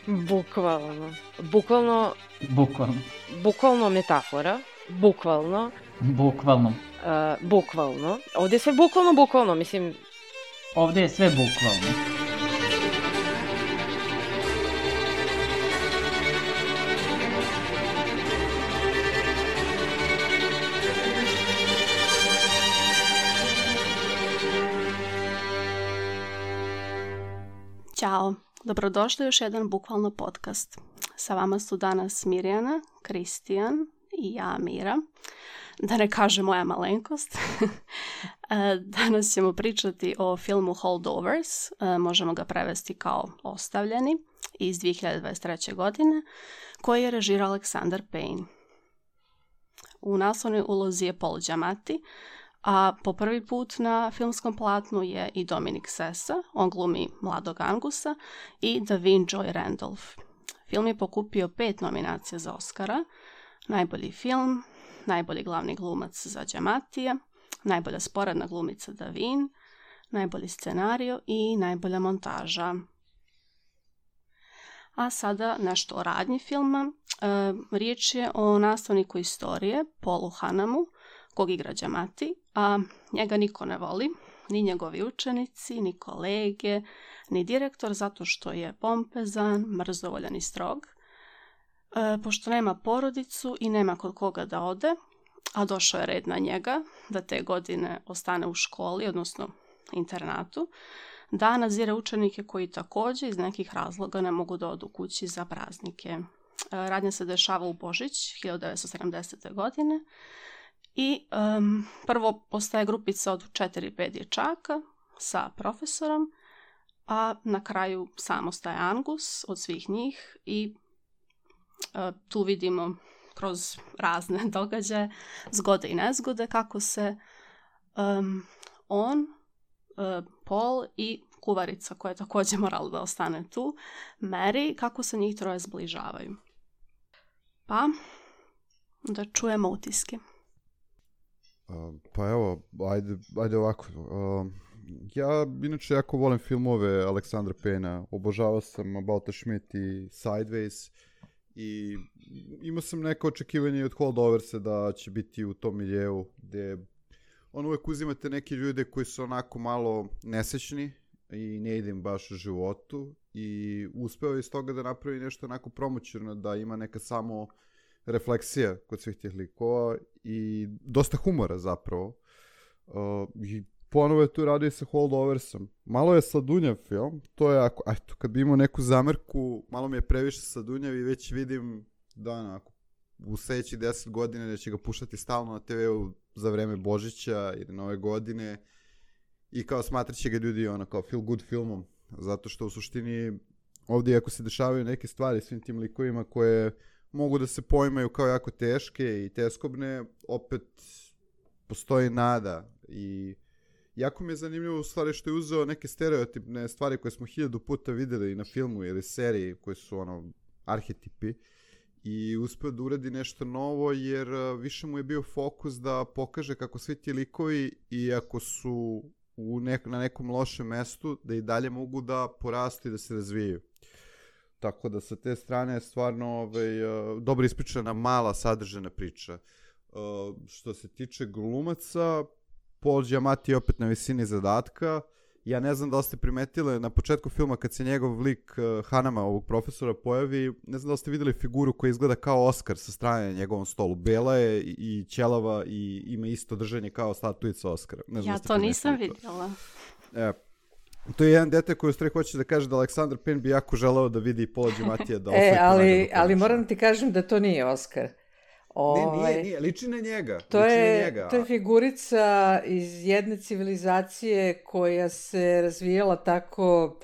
Bukvalno. Bukvalno. Bukvalno metafora. Bukvalno. Bukvalno. Ovdje je sve bukvalno, mislim... Ovdje je sve bukvalno. Ćao, dobrodošli u još jedan bukvalno podcast. Sa vama su danas Mirjana, Kristijan i ja Mira. Da ne kaže moja malenkost. Danas ćemo pričati o filmu Holdovers, možemo ga prevesti kao Ostavljeni, iz 2023. godine, koji je režirao Alexander Payne. U naslovnoj ulozi je Paul Giamatti, a po prvi put na filmskom platnu je i Dominic Sessa, on glumi mladog Angusa, i Da'Vine Joy Randolph. Film je pokupio 5 nominacija za Oscara: najbolji film, najbolji glavni glumac za Giamattija, najbolja sporedna glumica Da'Vine, najbolji scenario i najbolja montaža. A sada nešto o radnji filma. Riječ je o nastavniku istorije, Paulu Hanamu, kog igra Giamatti, a njega niko ne voli, ni njegovi učenici, ni kolege, ni direktor, zato što je pompezan, mrzovoljan i strog. Pošto nema porodicu i nema kod koga da ode, a došao je red na njega da te godine ostane u školi, odnosno internatu, da nadzire učenike koji također iz nekih razloga ne mogu da odu kući za praznike. Radnja se dešava u Božić 1970. godine i prvo postaje grupica od 4-5 dječaka sa profesorom, a na kraju samo ostaje Angus od svih njih i tu vidimo kroz razne događaje, zgode i nezgode, kako se on, Paul i kuvarica koja je također morala da ostane tu, Mary, kako se njih troje zbližavaju. Pa, da čujemo utiske. Pa evo, ajde ovako. Ja inače jako volim filmove Alexandra Payna. Obožavao sam About the Schmidt i Sideways. I imao sam neko očekivanje od Holdoversa da će biti u tom miljeu gdje on uvijek uzimate neke ljude koji su onako malo nesečni i ne ide im baš u životu i uspeo je iz toga da napravi nešto onako promoćurno, da ima neka samo refleksija kod svih tih likova i dosta humora zapravo. I ponovo je tu radio sa Holdoversom. Malo je sladunjav film, to je ako, eto, kad bi imao neku zamerku, malo mi je previše sladunjav i već vidim da onako, u sljedećih 10 godina da će ga puštati stalno na TV-u za vreme Božića ili Nove godine i kao smatrat će ga ljudi ono kao feel good filmom, zato što u suštini ovdje ako se dešavaju neke stvari svim tim likovima koje mogu da se poimaju kao jako teške i teskobne, opet postoji nada i jako mi je zanimljivo u stvari što je uzeo neke stereotipne stvari koje smo 1000 puta vidjeli na filmu ili seriji koji su ono arhetipi i uspio da uradi nešto novo jer više mu je bio fokus da pokaže kako svi ti likovi i ako su na nekom lošem mestu da i dalje mogu da porastu i da se razvijaju. Tako da sa te strane je stvarno dobro ispričana mala sadržana priča. Što se tiče glumaca, Paul Giamatti je opet na visini zadatka. Ja ne znam da li ste primetili na početku filma kad se njegov lik Hanama, ovog profesora, pojavi, ne znam da li ste vidjeli figuru koja izgleda kao Oskar sa strane na njegovom stolu. Bela je i ćelava i ima isto držanje kao statuica Oskara. Ja to nisam vidjela. To je jedan detalj koji u stvari hoće da kaže da Alexander Payne bi jako želeo da vidi Paula Giamattija da osvoji ali moram ti kažem da to nije Oskar. Nije, liči na njega. To je figurica iz jedne civilizacije koja se razvijala tako,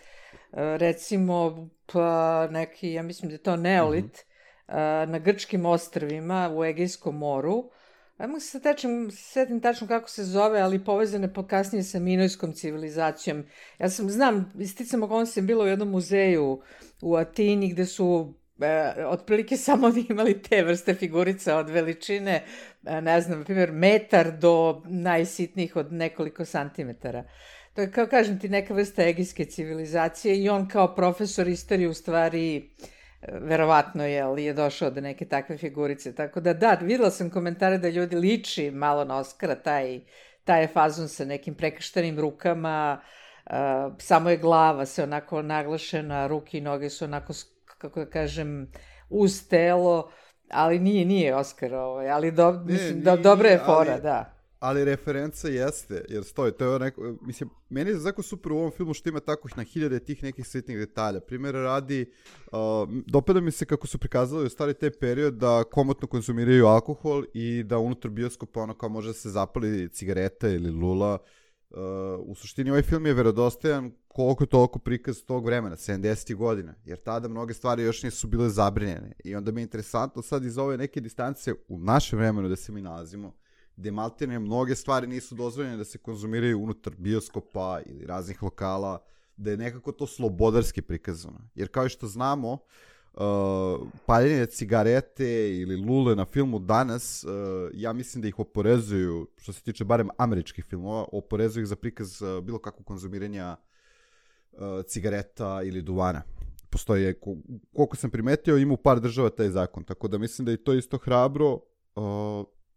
recimo, pa neki, ja mislim da je to neolit, na grčkim ostrvima u Egejskom moru. Ajmo se setim tačno kako se zove, ali povezane kasnije sa minojskom civilizacijom. Ja znam, isticam okolnosti sam bila u jednom muzeju u Atini gde su otprilike samo imali te vrste figurica od veličine, ne znam, na primjer, metar do najsitnijih od nekoliko santimetara. kao kažem ti, neka vrsta egijske civilizacije i on kao profesor istorije u stvari verovatno je došao do neke takve figurice. Tako da, videla sam komentare da ljudi liči malo na Oskara, taj je fazon sa nekim prekrštenim rukama, samo je glava se onako naglašena, ruke i noge su onako, kako da kažem, uz telo, ali nije Oskar, ali mislim da dobra je fora, da. Ali referenca jeste, jer stoji, to je neko, mislim, meni je jako super u ovom filmu što ima tako na hiljade tih nekih sitnih detalja. Primjera radi, dopada mi se kako su prikazali u stari taj period da komotno konzumiraju alkohol i da unutar bioskopa ono kao može da se zapali cigareta ili lula. U suštini ovaj film je verodostojan koliko toliko prikaz tog vremena, 70. godina, jer tada mnoge stvari još nisu bile zabrinjene. I onda mi je interesantno sad iz ove neke distance u našem vremenu da se mi nalazimo, gde maltene mnoge stvari nisu dozvoljene da se konzumiraju unutar bioskopa ili raznih lokala, da je nekako to slobodarski prikazano. Jer kao što znamo, paljenje cigarete ili lule na filmu danas, ja mislim da ih oporezuju, što se tiče barem američkih filmova, oporezuju ih za prikaz bilo kakvog konzumiranja cigareta ili duvana. Postoji, koliko sam primetio, ima u par država taj zakon, tako da mislim da je to isto hrabro.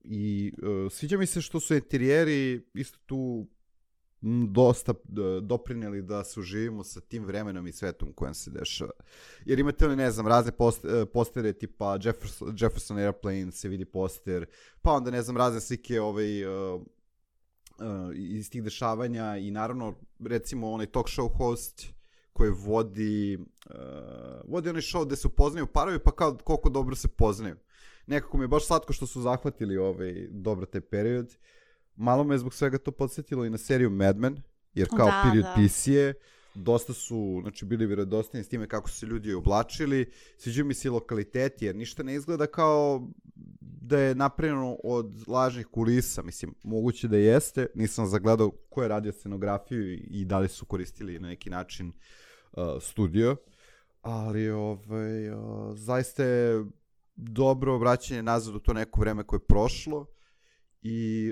I sviđa mi se što su interijeri isto tu dosta doprineli da se uživimo sa tim vremenom i svetom u kojem se dešava. Jer imate li, ne znam, razne postere tipa Jefferson Airplane se vidi poster, pa onda, ne znam, razne slike iz tih dešavanja i naravno, recimo, onaj talk show host koji vodi onaj show gde se upoznaju parovi, pa kao koliko dobro se poznaju. Nekako mi je baš slatko što su zahvatili dobro taj period. Malo me je zbog svega to podsjetilo i na seriju Mad Men, jer kao period piece je, dosta su, znači, bili vjerodostojni s time kako su se ljudi oblačili, sviđaju mi se i lokaliteti, jer ništa ne izgleda kao da je napravljeno od lažnih kulisa, mislim, moguće da jeste, nisam zagledao ko je radio scenografiju i da li su koristili na neki način studio, ali zaista je dobro vraćanje nazad u to neko vreme koje je prošlo. I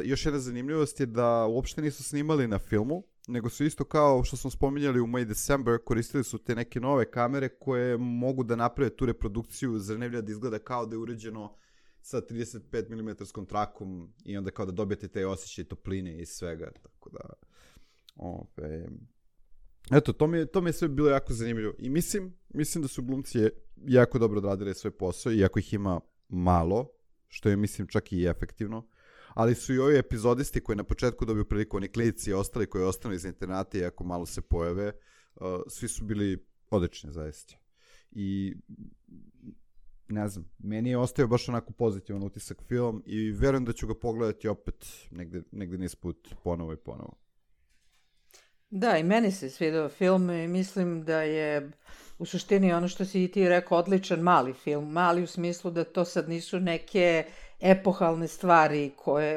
još jedna zanimljivost je da uopšte nisu snimali na filmu, nego su isto kao što smo spominjali u May December, koristili su te neke nove kamere koje mogu da naprave tu reprodukciju zrnevlja da izgleda kao da je uređeno sa 35 mm trakom i onda kao da dobijete te osjećaje topline i svega, tako da eto, to mi je sve bilo jako zanimljivo i mislim da su glumci jako dobro odradili svoj posao, iako ih ima malo, što je, mislim, čak i efektivno, ali su i ovi epizodisti koji na početku dobiju priliku, oni klinici i ostali koji ostanu iz internata i ako malo se pojave, svi su bili odlični zaista. I ne znam, meni je ostao baš onako pozitivan utisak film i verujem da ću ga pogledati opet negde niz put ponovo i ponovo. Da, i meni se svidao film i mislim da je u suštini ono što si i ti rekao odličan mali film. Mali u smislu da to sad nisu neke epohalne stvari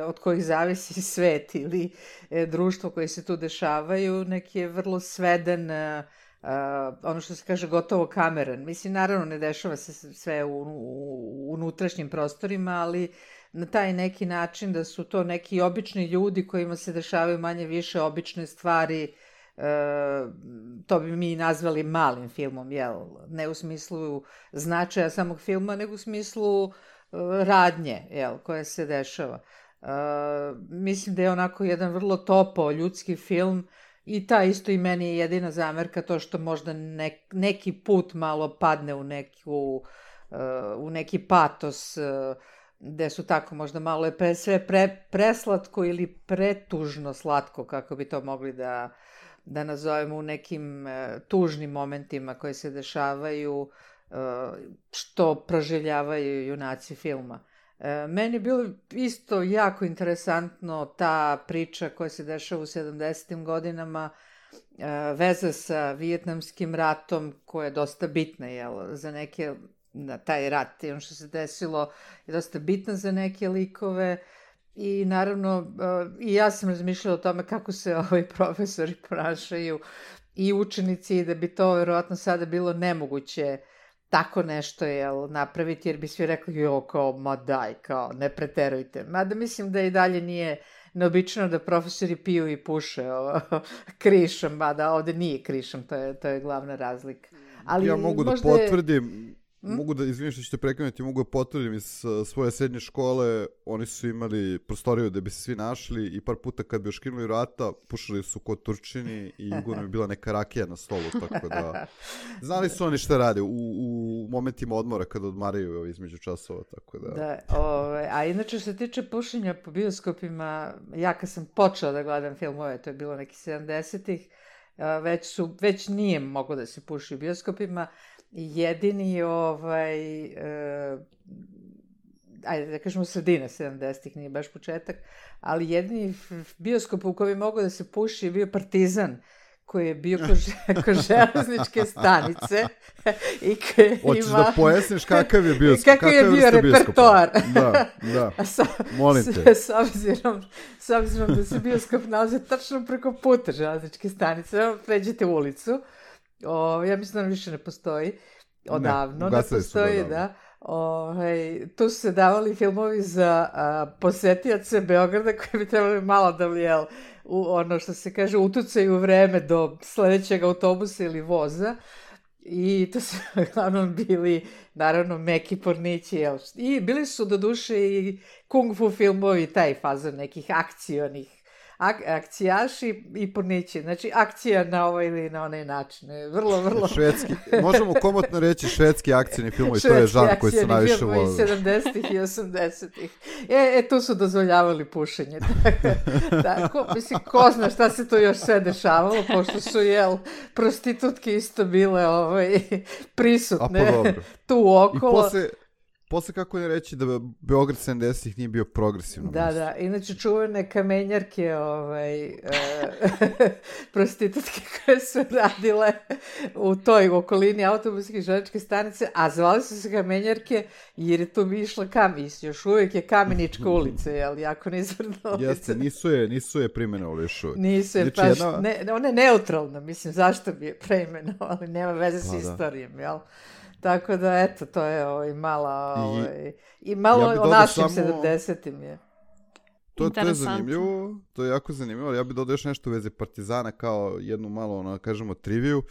od kojih zavisi svet ili društvo koje se tu dešavaju. Neki je vrlo sveden, ono što se kaže gotovo kameran. Mislim, naravno ne dešava se sve u unutrašnjim prostorima, ali na taj neki način da su to neki obični ljudi kojima se dešavaju manje više obične stvari, to bi mi nazvali malim filmom, jel? Ne u smislu značaja samog filma, nego u smislu radnje, jel, koja se dešava. Mislim da je onako jedan vrlo topao ljudski film i ta isto i meni je jedina zamerka to što možda neki put malo padne u neki patos, gde su tako možda malo sve preslatko ili pretužno slatko, kako bi to mogli da nazovemo, u nekim tužnim momentima koji se dešavaju, što proživljavaju junaci filma. Meni je bilo isto jako interesantno ta priča koja se dešava u 70. godinama, veza sa Vijetnamskim ratom, koja je dosta bitna, jel, za neke, taj rat i ono što se desilo je dosta bitno za neke likove. I naravno, i ja sam razmišljala o tome kako se profesori ponašaju i učenici, i da bi to verovatno sada bilo nemoguće tako nešto napraviti, jer bi svi rekli, kao, ma daj, kao, ne preterujte. Mada mislim da i dalje neobično da profesori piju i puše krišom, mada ovde nije krišom, to je glavna razlika. Ali ja mogu da potvrdim, izvinim što ćete prekinuti, mogu da potvrdim iz svoje srednje škole, oni su imali prostoriju da bi se svi našli i par puta kad bi oškrinuli vrata, pušali su kod Turčini i uglavnom je bila neka rakija na stolu, tako da znali su oni šta rade u momentima odmora kada odmaraju između časova, tako da... Da, a inače što se tiče pušenja po bioskopima, ja kad sam počela da gledam filmove, to je bilo neki 70-ih, već nije moglo da se puši u bioskopima. Jedini ajde da kažemo sredina 70-ih, nije baš početak, ali jedini bioskop u kojem je mogao da se puši je bio Partizan, koji je bio ko železničke stanice i koji ima... Hoćeš da pojasniš kakav je bioskop? Kakav je bio repertoar. Da, molim te. S obzirom da se bioskop nalazi tačno preko puta železničke stanice, pređete ulicu, ja mislim da više ne postoji, odavno ne postoji, da. Tu su se davali filmovi za posetioce Beograda koji bi trebali malo da ono što se kaže utucaju vreme do sledećeg autobusa ili voza i to su uglavnom bili naravno meki pornići i bili su do duše i kung fu filmovi, taj fazon nekih akcionih akcijaši i pornići. Znači, akcija na ovaj ili na onaj način. Vrlo... Švedski, možemo komotno reći švedski akcijni filmovi, to je žan koji su najviše volili. Švedski akcijni filmovi 70-ih i 80-ih. Tu su dozvoljavali pušenje. Tako, mislim, ko zna šta se to još sve dešavalo, pošto su, prostitutke isto bile prisutne tu okolo. Posle kako ne reći da Beograd 70-ih nije bio progresivno mesto. Da, inače čuvene kamenjarke, prostitutke koje su radile u toj okolini autobuske i železničke stanice, a zvali su se kamenjarke jer je tu išla još uvijek je Kamenička ulica, jako nizvrna ulica. Jeste, nisu je preimenovali još uvijek. Nisu je, ona je neutralna, mislim, zašto bi je preimenovali, nema veze s istorijom, jel? Tako da, eto, to je malo o našim 70-im je. To je zanimljivo, to je jako zanimljivo, ali ja bih dodao još nešto u vezi Partizana kao jednu malo, kažemo, triviju.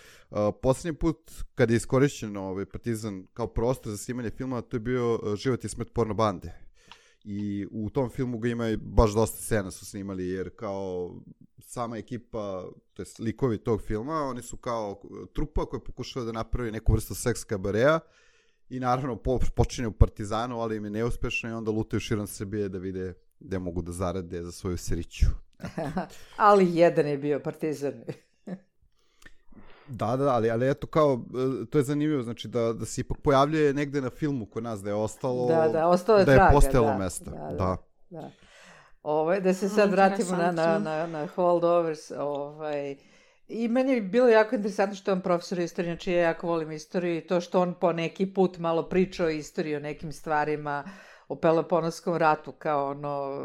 Poslednji put kad je iskorišćen Partizan kao prostor za snimanje filma, to je bio Život i smrt porno bande. I u tom filmu ga ima baš dosta scena su snimali, jer kao sama ekipa, to jest likovi tog filma, oni su kao trupa koja pokušava da napravi neku vrstu seks kabarea i naravno počinje u Partizanu, ali im je neuspešno i onda lutaju širom Srbije da vide gde mogu da zarade za svoju sriću. Ali jedan je bio Partizan. Da, ali eto kao, to je zanimljivo, znači da se ipak pojavljuje negde na filmu kod nas, da je ostalo, da je postojalo mesta. Da. Da se sad vratimo na holdovers, i meni je bilo jako interesantno što je on profesor istorije, znači ja jako volim istoriju i to što on po neki put malo priča o istoriji, o nekim stvarima, o Peloponeskom ratu, kao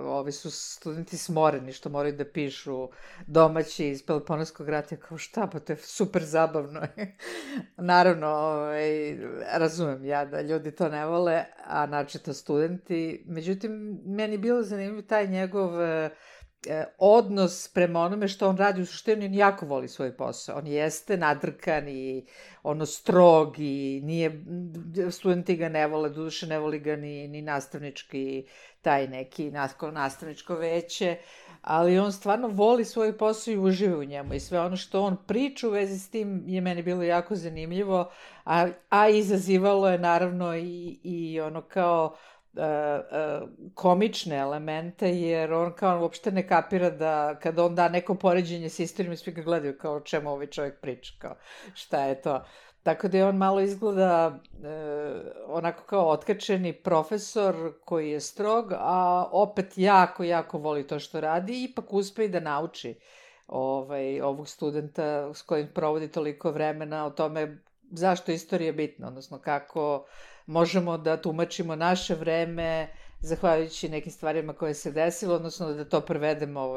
ovi su studenti smoreni što moraju da pišu domaći iz Peloponeskog rata, kao šta, pa to je super zabavno. Naravno, razumem ja da ljudi to ne vole, a načito studenti. Međutim, meni je bilo zanimljivo taj njegov odnos prema onome što on radi u suštini, on jako voli svoj posao. On jeste nadrkan i strog i studenti ga ne vole, doduše ne voli ga ni nastavnički, taj neki nastavničko veće, ali on stvarno voli svoj posao i uživa u njemu i sve ono što on priča u vezi s tim je meni bilo jako zanimljivo, a izazivalo je naravno i ono kao komične elemente, jer on kao uopšte ne kapira da kada on da neko poređenje s istorijom, svi ga gledaju kao o čemu ovaj čovjek priča, kao šta je to. Tako da je on malo izgleda onako kao otkačeni profesor koji je strog, a opet jako voli to što radi i ipak uspe i da nauči ovog studenta s kojim provodi toliko vremena o tome zašto istorija je bitna, odnosno kako možemo da tumačimo naše vreme zahvaljujući nekim stvarima koje se desilo, odnosno da to prevedemo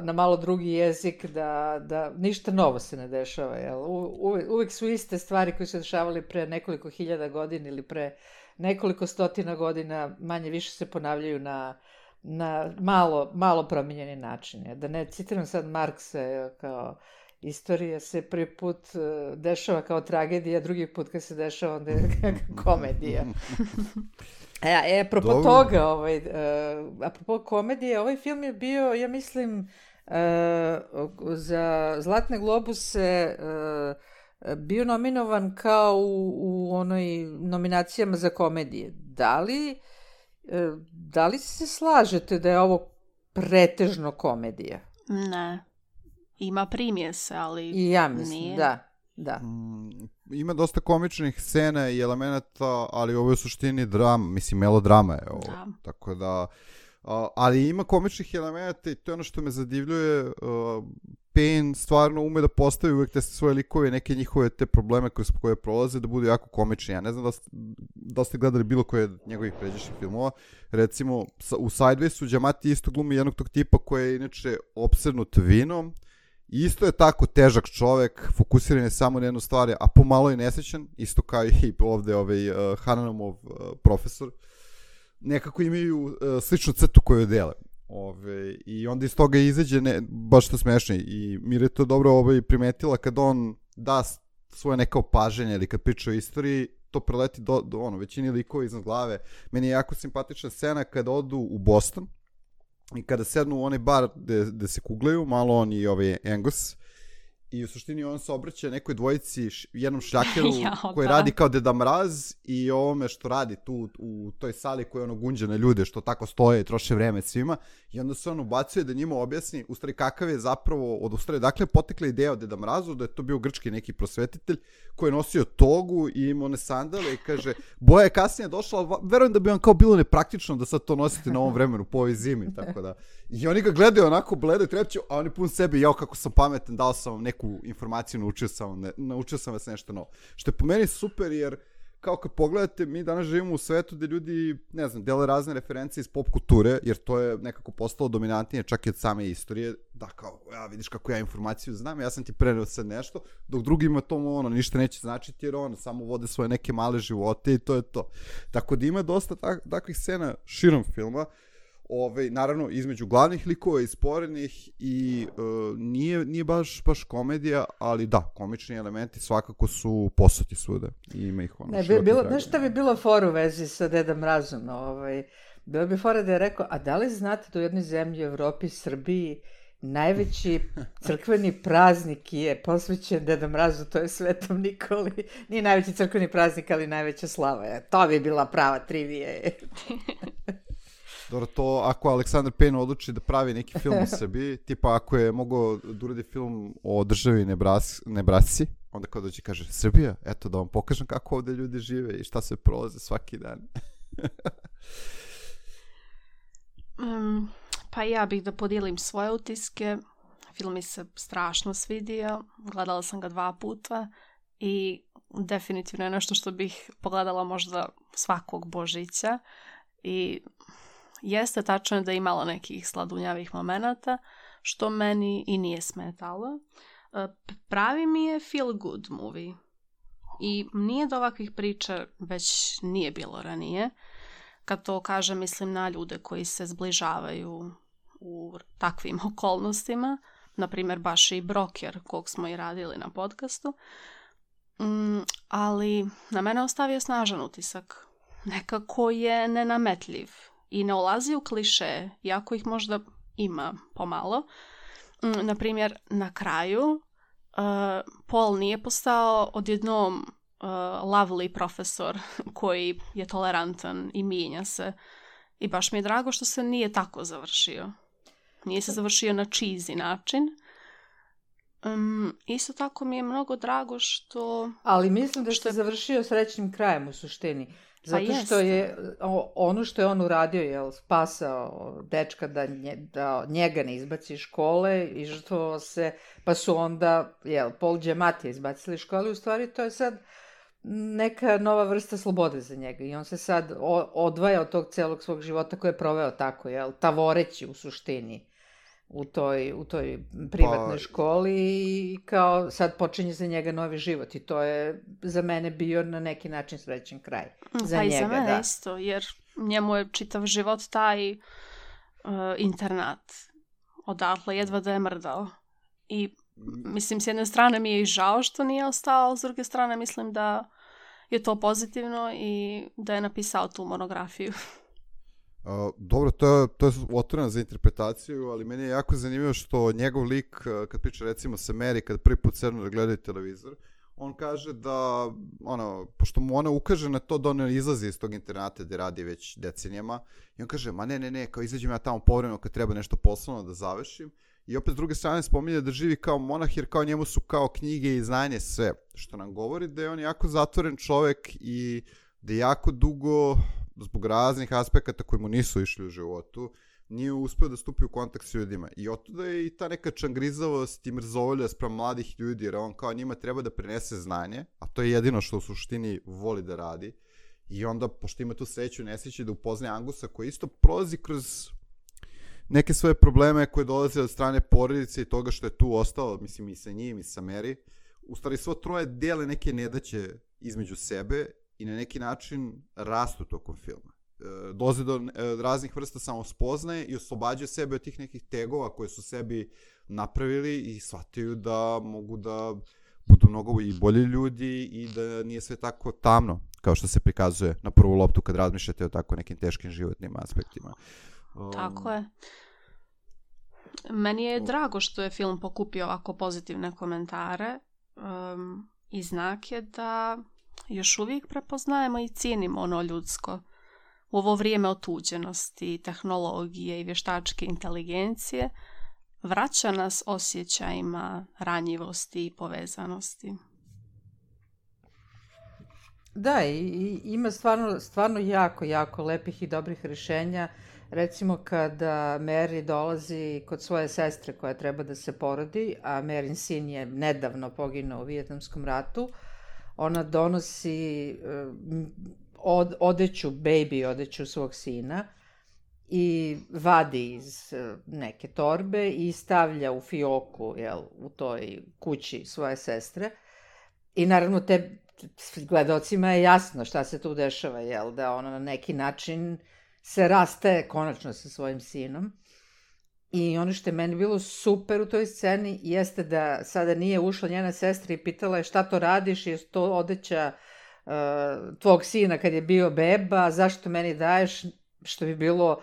na malo drugi jezik, da ništa novo se ne dešava. Uvek su iste stvari koje su dešavali pre nekoliko hiljada godina ili pre nekoliko stotina godina, manje više se ponavljaju na malo promijenjeni način. Da ne citiram sad Marksa, kao istorija se prvi put dešava kao tragedija, drugi put kad se dešava onda je komedija. Apropo toga, apropo komedije, ovaj film je bio, ja mislim, za Zlatne globuse bio nominovan kao u onoj nominacijama za komedije. Da li se slažete da je ovo pretežno komedija? Ne. Ima primjese, ali i ja mislim, nije. Da. Ima dosta komičnih scena i elemenata, ali ovo je u suštini drama, mislim melodrama je ovo. Da. Tako da, ali ima komičnih elemenata i to je ono što me zadivljuje. Payne stvarno ume da postavi uvek te svoje likove, neke njihove te probleme kroz koje prolaze da budu jako komični. Ja ne znam da ste gledali bilo koje od njegovih pređašnjih filmova. Recimo u Sidewaysu Giamatti isto glumi jednog tog tipa koji je inače opsednut vinom. Isto je tako težak čovek, fokusiran je samo na jednu stvar, a pomalo je nesrećan, isto kao i ovde Hananamov profesor. Nekako imaju sličnu crtu koju dele. I onda iz toga izađe baš to smešno. I Mira je to dobro primetila kad on da svoje neka opaženja ili kad priča o istoriji, to preleti do većini likova iznad glave. Meni je jako simpatična scena kada odu u Boston i kada sednu u onaj bar gde se kuglaju, malo on i Angus, i u suštini on se obraća nekoj dvojici, jednom šljakeru koji radi kao Deda Mraz i ovome što radi tu u toj sali koji gunđa na ljude što tako stoje i troše vreme svima, i onda se on ubacuje da njima objasni u stvari kakav je zapravo, dakle potekla ideja od Deda Mrazu, da je to bio grčki neki prosvetitelj koji je nosio togu i imao one sandale i kaže, boja je kasnije došla, ali verujem da bi vam kao bilo nepraktično da sad to nosite na ovom vremenu po ovoj zimi, tako da. I oni ga gledaju onako bledo i trepću, a oni pun sebe, jao kako sam pametan, dao sam vam neku informaciju, naučio sam vas nešto novo. Što je po meni super, jer kao kad pogledate, mi danas živimo u svetu gde ljudi, ne znam, dele razne referencije iz pop kulture, jer to je nekako postalo dominantnije čak i od same istorije, da kao, ja vidiš kako ja informaciju znam, ja sam ti preneo sad nešto, dok drugima to ništa neće značiti, jer samo vode svoje neke male živote i to je to. Tako da ima dosta takvih scena širom filma, naravno između glavnih likova i sporednih, i nije baš komedija, ali da, komični elementi svakako su posuti svuda i ima ih Znaš šta bi bilo fora u vezi sa Dedom Mrazom? Bilo bi fora da je rekao, a da li znate da u jednoj zemlji u Evropi, Srbiji, najveći crkveni praznik je posvećen Dedu Mrazu, to je Svetom Nikoli. Nije najveći crkveni praznik, ali najveća slava. To bi bila prava trivija. Dobro, to ako Aleksandar Payne odluči da pravi neki film u Srbiji, tipa ako je mogao da uradi film o državi Nebrasci, onda kao dođe kaže, Srbija, eto da vam pokažem kako ovde ljudi žive i šta se prolaze svaki dan. Pa ja bih da podijelim svoje utiske. Film mi se strašno svidio, gledala sam ga 2 puta i definitivno je nešto što bih pogledala možda svakog Božića. I jeste tačno da je imalo nekih sladunjavih momenata, što meni i nije smetalo. Pravi mi je feel good movie. I nije do ovakvih priča već nije bilo ranije. Kad to kažem, mislim na ljude koji se zbližavaju u takvim okolnostima. Naprimjer, baš i Broker, kog smo i radili na podcastu. Ali na mene ostavio snažan utisak. Nekako je nenametljiv i ne ulazi u kliše, iako ih možda ima pomalo. Naprimjer, na kraju Paul nije postao odjednom lovely profesor koji je tolerantan i mijenja se. I baš mi je drago što se nije tako završio. Nije se završio na cheesy način. Isto tako mi je mnogo drago što... Ali mislim da se završio srećnim krajem u suštini. Zato što je ono što je on uradio, spasao dečka da njega ne izbaci iz škole i žrtvovao se, pa su onda Paul Giamatti izbacili iz škole. U stvari to je sad neka nova vrsta slobode za njega i on se sad odvaja od tog celog svog života koje je proveo tako, tavoreći u suštini u toj privatnoj školi i kao sad počinje za njega novi život i to je za mene bio na neki način srećan kraj. Pa i za mene isto, jer njemu je čitav život taj internat. Odatle jedva da je mrdao. I mislim, s jedne strane mi je i žao što nije ostao, s druge strane mislim da je to pozitivno i da je napisao tu monografiju. Dobro, to je otvoreno za interpretaciju, ali meni je jako zanimljivo što njegov lik, kad priča recimo sa Mary, kad prvi put sednu da gledaju televizor, on kaže da, pošto mu ona ukaže na to da on izlazi iz tog internata gde radi već decenijama, i on kaže, ma ne, kao izađem ja tamo povremeno kad treba nešto poslovno da završim, i opet s druge strane spominje da živi kao monah, jer kao njemu su kao knjige i znanje sve, što nam govori da je on jako zatvoren čovek i da je jako dugo, zbog raznih aspekata koji mu nisu išli u životu, nije uspeo da stupi u kontakt s ljudima. I otuda je i ta neka čangrizavost i mrzovolja sprem mladih ljudi, jer on kao njima treba da prenese znanje, a to je jedino što u suštini voli da radi. I onda, pošto ima tu sreću, nesreće da upoznaje Angusa, koji isto prolazi kroz neke svoje probleme koje dolaze od strane porodice i toga što je tu ostao, mislim, i sa njim i sa Mary. U stvari, svo troje dele neke nedaće između sebe i na neki način rastu tokom filma. Dolaze do raznih vrsta samospoznaje i oslobađaju sebe od tih nekih tegova koje su sebi napravili i shvataju da mogu da budu mnogo i bolji ljudi i da nije sve tako tamno, kao što se prikazuje na prvu loptu kad razmišljate o tako nekim teškim životnim aspektima. Tako je. Meni je drago što je film pokupio ovako pozitivne komentare i znak je da još uvijek prepoznajemo i cijenimo ono ljudsko. U ovo vrijeme otuđenosti, tehnologije i vještačke inteligencije vraća nas osjećajima ranjivosti i povezanosti. Da, i ima stvarno jako lepih i dobrih rješenja. Recimo kada Mary dolazi kod svoje sestre koja treba da se porodi, a Maryn sin je nedavno poginuo u Vijetnamskom ratu, ona donosi baby odeću svog sina i vadi iz neke torbe i stavlja u fioku, u toj kući svoje sestre. I naravno gledalcima je jasno šta se tu dešava, da ona na neki način se rastaje konačno sa svojim sinom. I ono što je meni bilo super u toj sceni jeste da sada nije ušla njena sestra i pitala je šta to radiš, je to odeća tvog sina kad je bio beba, zašto meni daješ, što bi bilo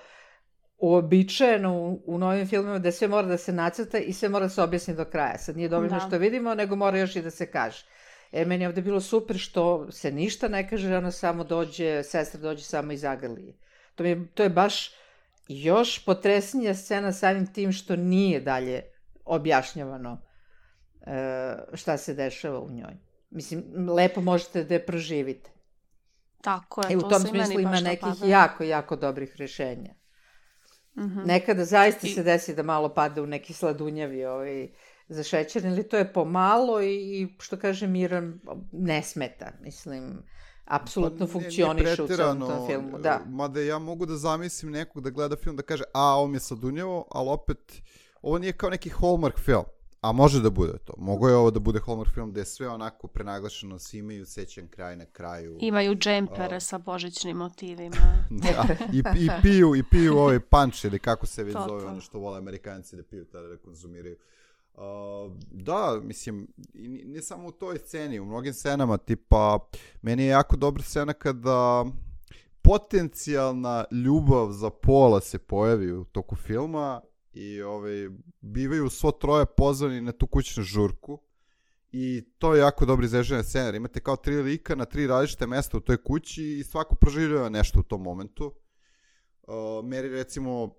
uobičajeno u novim filmima da sve mora da se nacrta i sve mora da se objasni do kraja. Sad nije dovoljno što vidimo, nego mora još i da se kaže. Meni je ovdje bilo super što se ništa ne kaže, ona samo dođe, sestra dođe samo i zagrli. To je baš još potresnija scena samim tim što nije dalje objašnjavano šta se dešava u njoj. Mislim, lepo možete da je proživite. Tako je, u tom smislu ima nekih jako dobrih rješenja. Nekada zaista se desi da malo pada u neki sladunjavi zašećeren, ali to je pomalo i što kaže Miran, ne smeta, mislim, apsolutno funkcioniše u celom tom filmu. Da. Mada ja mogu da zamislim nekog da gleda film da kaže, ovo mi je sladunjavo, ali opet, ovo nije kao neki Hallmark film. A može da bude to. Mogu je ovo da bude Hallmark film gde je sve onako prenaglašeno, svi imaju sećan kraj na kraju. Imaju džempere sa božićnim motivima. Da, i piju ovaj punch ili kako se već zove, ono što vole Amerikanci da piju, tada da konzumiraju. Da, mislim, ne samo u toj sceni, u mnogim scenama, tipa, meni je jako dobra scena kada potencijalna ljubav za Paula se pojavi u toku filma i bivaju svo troje pozvani na tu kućnu žurku i to je jako dobro izrežena scena. Imate kao 3 lika na 3 različite mesta u toj kući i svako proživljava nešto u tom momentu. Mary recimo,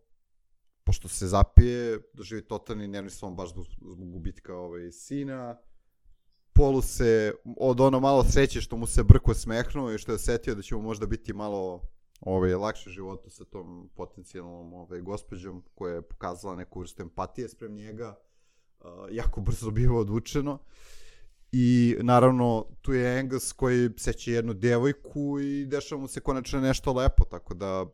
pošto se zapije, doživi totalni nervni slom baš zbog gubitka sina. Paulu se od ono malo sreće što mu se brko smehnuo i što je osetio da će mu možda biti malo lakše životu sa tom potencijalnom gospođom koja je pokazala neku vrstu empatije sprem njega, jako brzo biva odvučeno. I naravno tu je Angus koji seće jednu devojku i dešava mu se konačno nešto lepo, tako da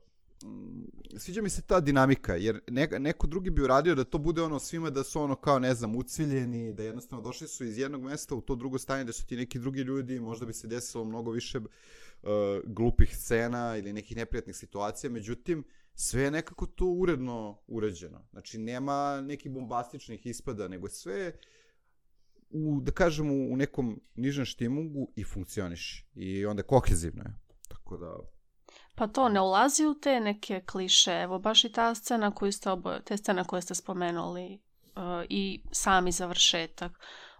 sviđa mi se ta dinamika, jer neko drugi bi uradio da to bude svima da su kao ne znam uciljeni, da jednostavno došli su iz jednog mesta u to drugo stanje da su ti neki drugi ljudi, možda bi se desilo mnogo više glupih scena ili nekih neprijatnih situacija, međutim sve je nekako to uredno urađeno. Znači, nema nekih bombastičnih ispada, nego sve da kažemo, u nekom nižem štimungu i funkcioniše. I onda kohezivno je. Tako da... Pa to ne ulazi u te neke kliše. Evo, baš i ta scena te scene koje ste spomenuli i sami završetak.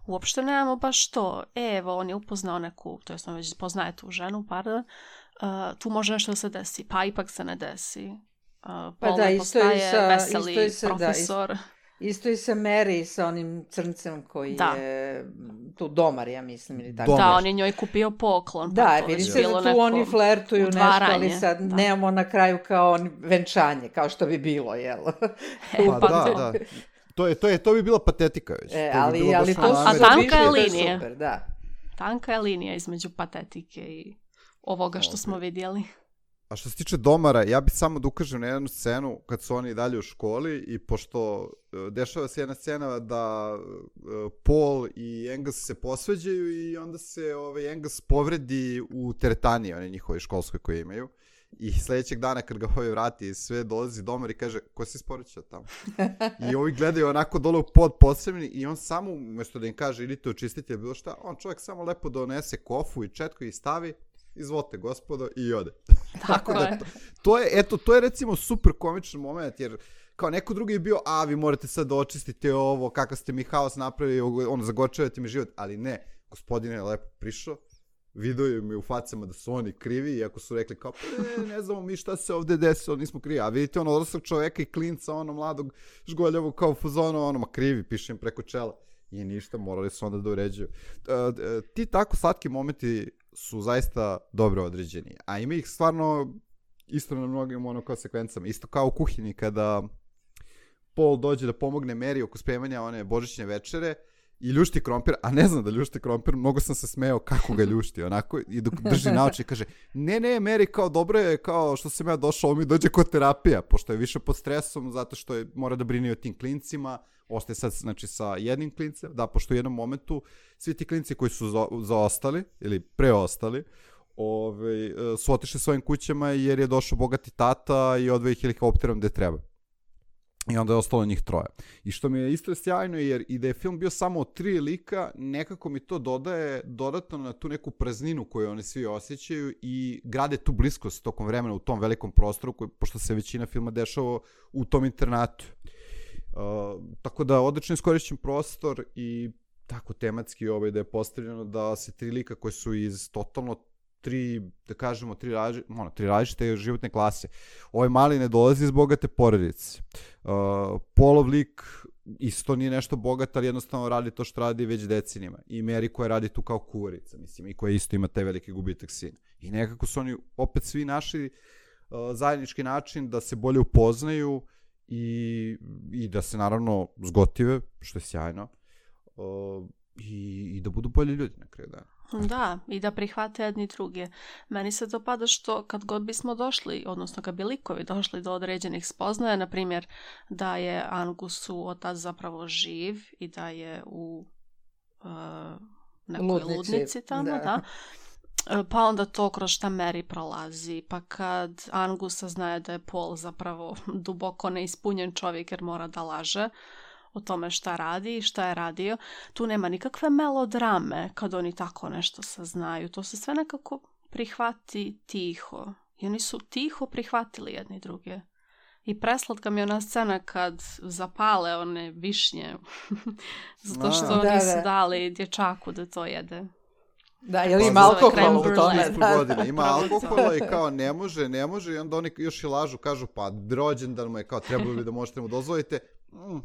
Uopšte nemamo baš to. Evo, on je upoznao neku, to jest on već poznaje tu ženu, pardon, tu može nešto da se desi, pa ipak se ne desi. Pa da, isto je veseli profesor. Isto i sa Mary, sa onim crncem koji je tu domar, ja mislim, ili tako. Da, on je njoj kupio poklon. Da, vidi se da tu oni flertuju nešto, ali sad nemamo na kraju kao venčanje, kao što bi bilo, jel? Pa da. To bi bila patetika već. Ali to su tanka je linija. Super, da. Tanka je linija između patetike i ovoga što smo vidjeli. A što se tiče domara, ja bih samo da ukažem na jednu scenu kad su oni dalje u školi i pošto dešava se jedna scena da Paul i Angus se posveđaju i onda se Angus povredi u teretani, one njihove školskoj koje imaju. I sljedećeg dana kad ga vrati sve dolazi domar i kaže, ko si isporučio tamo? I ovi gledaju onako dole u pod posebni i on samo, umjesto da im kaže idite očistiti ili bilo šta, on čovjek samo lepo donese kofu i četku i stavi, izvolite gospodo, i ode. Tako je. To je recimo super komičan moment, jer kao neko drugi je bio, vi morate sad da očistite ovo, kakav ste mi haos napravili, zagorčavate mi život, ali ne, gospodin je lepo prišao, vidio mi u facama da su oni krivi, iako su rekli kao, ne znamo mi šta se ovde desilo, nismo krivi, a vidite odraslog čoveka i klinca, mladog žgoljavog kao fuzonu, ma krivi, piše im preko čela. I ništa, morali su onda da uređuju. Ti tako slatki momenti su zaista dobro određeni, a ima ih stvarno isto na mnogim kao sekvencama, isto kao u kuhinji kada Paul dođe da pomogne Mary oko spremanja one božićne večere i ljušti krompir, a ne znam da ljušti krompir, mnogo sam se smejao kako ga ljušti, onako, i dok drži naoči i kaže, ne, Mary, kao dobro je, kao što sam ja došao, mi dođe kod terapija, pošto je više pod stresom, zato što mora da brini o tim klincima, ostaje sad, znači, sa jednim klincem, da, pošto u jednom momentu svi ti klinci koji su zaostali, ili preostali, su otišli svojim kućama jer je došao bogati tata i odveo ih helikopterom gde treba. I onda je ostalo njih 3. I što mi je isto sjajno, jer i da je film bio samo od 3 lika, nekako mi to dodaje dodatno na tu neku prazninu koju oni svi osjećaju i grade tu bliskost tokom vremena u tom velikom prostoru, pošto se većina filma dešava u tom internatu. Tako da odlično iskorišćen prostor i tako tematski da je postavljeno da se 3 lika koji su iz totalno 3 različite životne klase. Ovaj mali ne dolazi iz bogate porodice. Paulov lik isto nije nešto bogat, ali jednostavno radi to što radi već decenijama. I Mary koja radi tu kao kuvarica, mislim, i koja isto ima taj veliki gubitak sina. I nekako su oni opet svi našli zajednički način da se bolje upoznaju i da se naravno zgotive, što je sjajno, i da budu bolji ljudi na kraju dana. Da, i da prihvate jedni druge. Meni se dopada što kad god bismo došli, odnosno kad bi likovi došli do određenih spoznaja, na primjer da je Angusu otac zapravo živ i da je u nekoj ludnici tamo, da. Pa onda to kroz šta Mary prolazi, pa kad Angus saznaje da je Paul zapravo duboko neispunjen čovjek jer mora da laže o tome šta radi i šta je radio, tu nema nikakve melodrame kad oni tako nešto saznaju. To se sve nekako prihvati tiho. I oni su tiho prihvatili jedni druge. I preslatka mi je ona scena kad zapale one višnje zato što nisu dali dječaku da to jede. Da, jer ima alkohol u tome. Ima alkohola i kao ne može i onda oni još i lažu, kažu pa rođendan mu je, kao trebalo bi da možete mu dozvolite.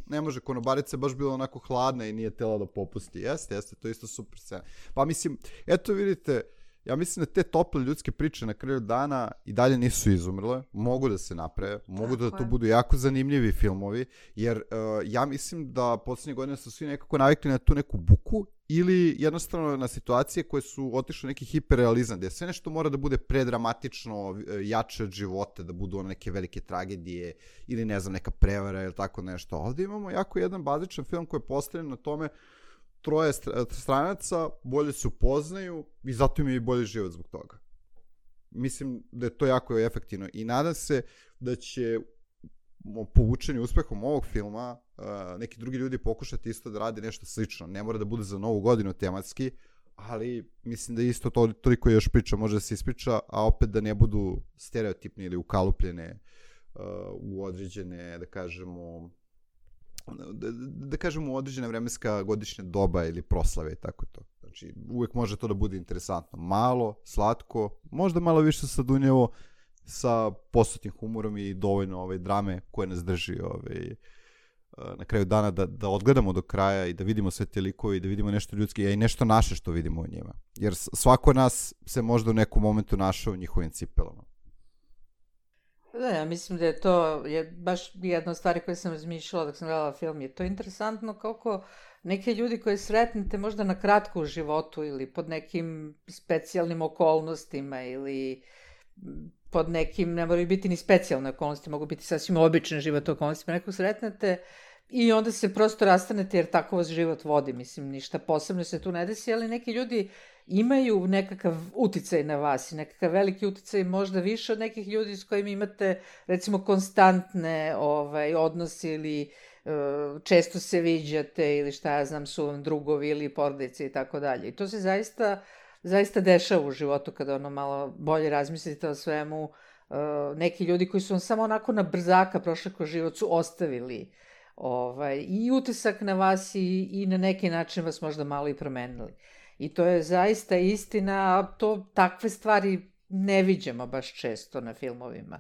Ne može, konobarica je baš bila onako hladna i nije tela da popusti. Jeste, to je isto super scena. Pa mislim, eto vidite, ja mislim da te tople ljudske priče na kraju dana i dalje nisu izumrle, mogu da se naprave, mogu da to budu jako zanimljivi filmovi, jer ja mislim da posljednje godine su svi nekako navikli na tu neku buku ili jednostavno na situacije koje su otišle neki hiperrealizam, gdje sve nešto mora da bude predramatično, jače od života, da budu neke velike tragedije ili ne znam, neka prevara ili tako nešto. Ovdje imamo jako jedan bazičan film koji je postavljen na tome 3 stranaca, bolje se upoznaju i zato im je i bolji život zbog toga. mislim da je to jako efektivno i nadam se da će povučeni uspehom ovog filma neki drugi ljudi pokušati isto da radi nešto slično. Ne mora da bude za novu godinu tematski, ali mislim da isto toliko još priča može da se ispriča, a opet da ne budu stereotipni ili ukalupljene u određene, da kažemo u određena vremenska godišnja doba ili proslave i tako to. Znači, uvek može to da bude interesantno. Malo, slatko, možda malo više sadunjevo, sa posutnim humorom i dovoljno drame koje nas drži na kraju dana da odgledamo do kraja i da vidimo sve te likove i da vidimo nešto ljudski, a i nešto naše što vidimo u njima. Jer svako od nas se možda u nekom momentu našao u njihovim cipelama. Da, ja mislim da je to baš jedna od stvari koje sam razmišljala dok sam gledala film. Je to interesantno kako neke ljudi koje sretnete možda na kratko u životu ili pod nekim specijalnim okolnostima ili pod nekim, ne moraju biti ni specijalne okolnosti, mogu biti sasvim obične život okolnostima, nekog sretnete i onda se prosto rastanete jer tako vas život vodi, mislim, ništa posebno se tu ne desi, ali neki ljudi imaju nekakav uticaj na vas i nekakav veliki uticaj, možda više od nekih ljudi s kojima imate, recimo, konstantne odnosi ili često se viđate ili šta ja znam, su vam drugovi ili porodice i tako dalje. I to se zaista dešava u životu kada malo bolje razmislite o svemu. Neki ljudi koji su vam samo onako na brzaka prošli kroz život su ostavili i utisak na vas i na neki način vas možda malo i promenili. I to je zaista istina, a takve stvari ne viđamo baš često na filmovima.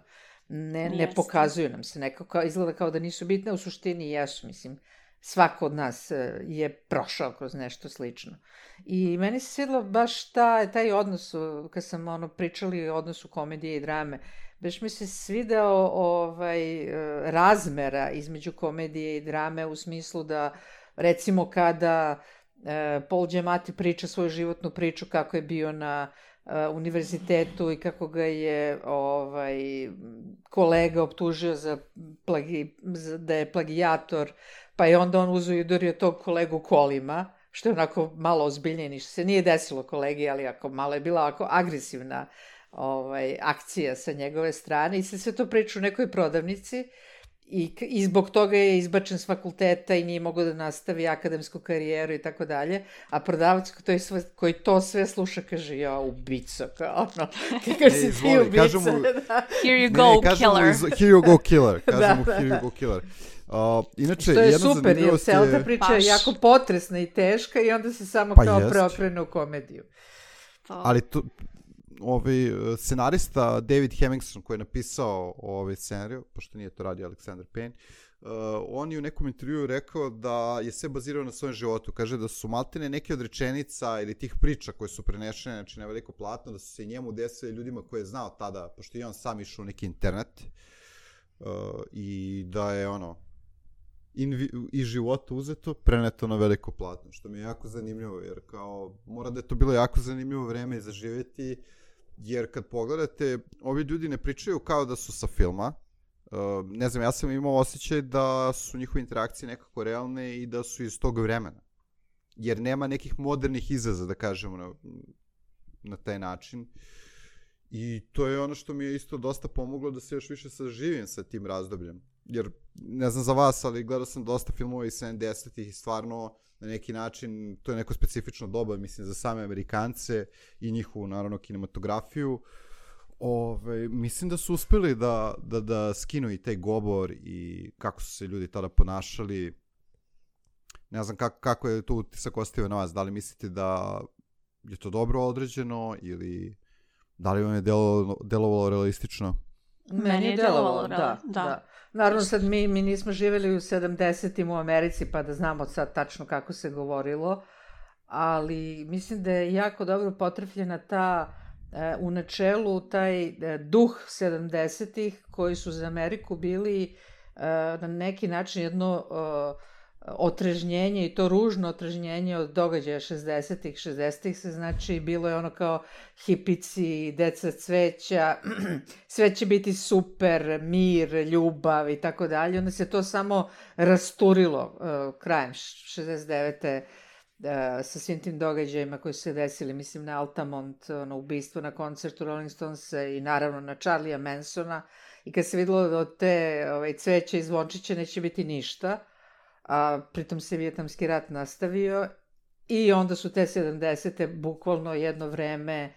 Ne pokazuju nam se, nekako izgleda kao da nisu bitne, u suštini jesu, mislim. Svako od nas je prošao kroz nešto slično. I meni se svidilo baš taj odnos, kad sam pričali o odnosu komedije i drame, baš mi se svideo razmera između komedije i drame u smislu da, recimo, kada Paul Giamatti priča svoju životnu priču kako je bio na univerzitetu i kako ga je kolega optužio da je plagijator, pa je onda on uzeo i udario tog kolegu kolima, što je onako malo ozbiljnije, ništa se nije desilo kolegi, ali malo je bila agresivna akcija sa njegove strane i se sve to priča u nekoj prodavnici i zbog toga je izbačen s fakulteta i nije mogao da nastavi akademsku karijeru i tako dalje, a prodavac koji to sve sluša kaže, ja, ubico, kao kako si ti ubica. Here you go, killer. Here you go, killer. Kažemo here you go, killer. Inače, što je super, jer cela ta priča je jako potresna i teška i onda se samo kao preokrene u komediju. Ali scenarista David Hemmingson koji je napisao scenariju, pošto nije to radio Alexander Payne, on je u nekom intervjuu rekao da je sve bazirao na svojem životu. Kaže da su maltene neke od rečenica ili tih priča koje su prenešene, znači na veliko platno, da su se njemu desile ljudima koje je znao tada, pošto je on sam išao u neki internet i da je iz života uzeto, preneto na veliko platno, što mi je jako zanimljivo, jer kao mora da je to bilo jako zanimljivo vreme za živjeti, jer kad pogledate, ovi ljudi ne pričaju kao da su sa filma, ne znam, ja sam imao osjećaj da su njihove interakcije nekako realne i da su iz tog vremena, jer nema nekih modernih izraza, da kažemo, na taj način. I to je ono što mi je isto dosta pomoglo da se još više saživim sa tim razdobljem. Jer, ne znam za vas, ali gledao sam dosta filmova iz 70-ih i stvarno na neki način to je neko specifično doba, mislim, za same Amerikance i njihovu, naravno, kinematografiju. Mislim da su uspeli da skinu i taj govor i kako su se ljudi tada ponašali. Ne znam kako je to utisak ostavio na vas. Da li mislite da je to dobro određeno ili da li vam je delovalo realistično? Meni je delovalo, da. Naravno, sad mi nismo živjeli u 70-im u Americi, pa da znamo sad tačno kako se govorilo, ali mislim da je jako dobro potrefljena u načelu taj duh 70-ih koji su za Ameriku bili na neki način jedno otrežnjenje i to ružno otrežnjenje od događaja 60-ih. 60-ih se znači bilo je ono kao hipici, deca cveća, sve će biti super, mir, ljubav i tako dalje. Onda se to samo rasturilo krajem 69. sa svim tim događajima koji su se desili, mislim na Altamont, ono ubistvo na koncertu Rolling Stonesa i naravno na Charlie'a Mansona, i kad se videlo da od te cveće i zvončića neće biti ništa, a pritom se Vijetnamski rat nastavio, i onda su te 70. bukvalno jedno vreme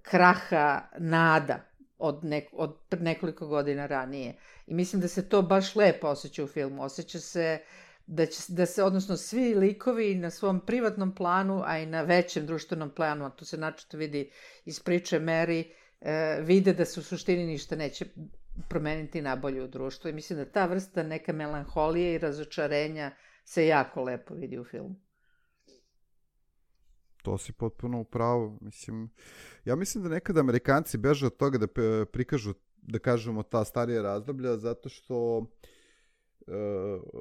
kraha nada od nekoliko godina ranije. I mislim da se to baš lepo osjeća u filmu. Osjeća se da se, odnosno svi likovi na svom privatnom planu, a i na većem društvenom planu, a tu se načito vidi iz priče Mary, vide da se u suštini ništa neće promeniti nabolje u društvu. I mislim da ta vrsta neka melanholije i razočarenja se jako lepo vidi u filmu. To si potpuno upravo. Ja mislim da nekada Amerikanci beže od toga da prikažu, da kažemo, ta starija razdoblja, zato što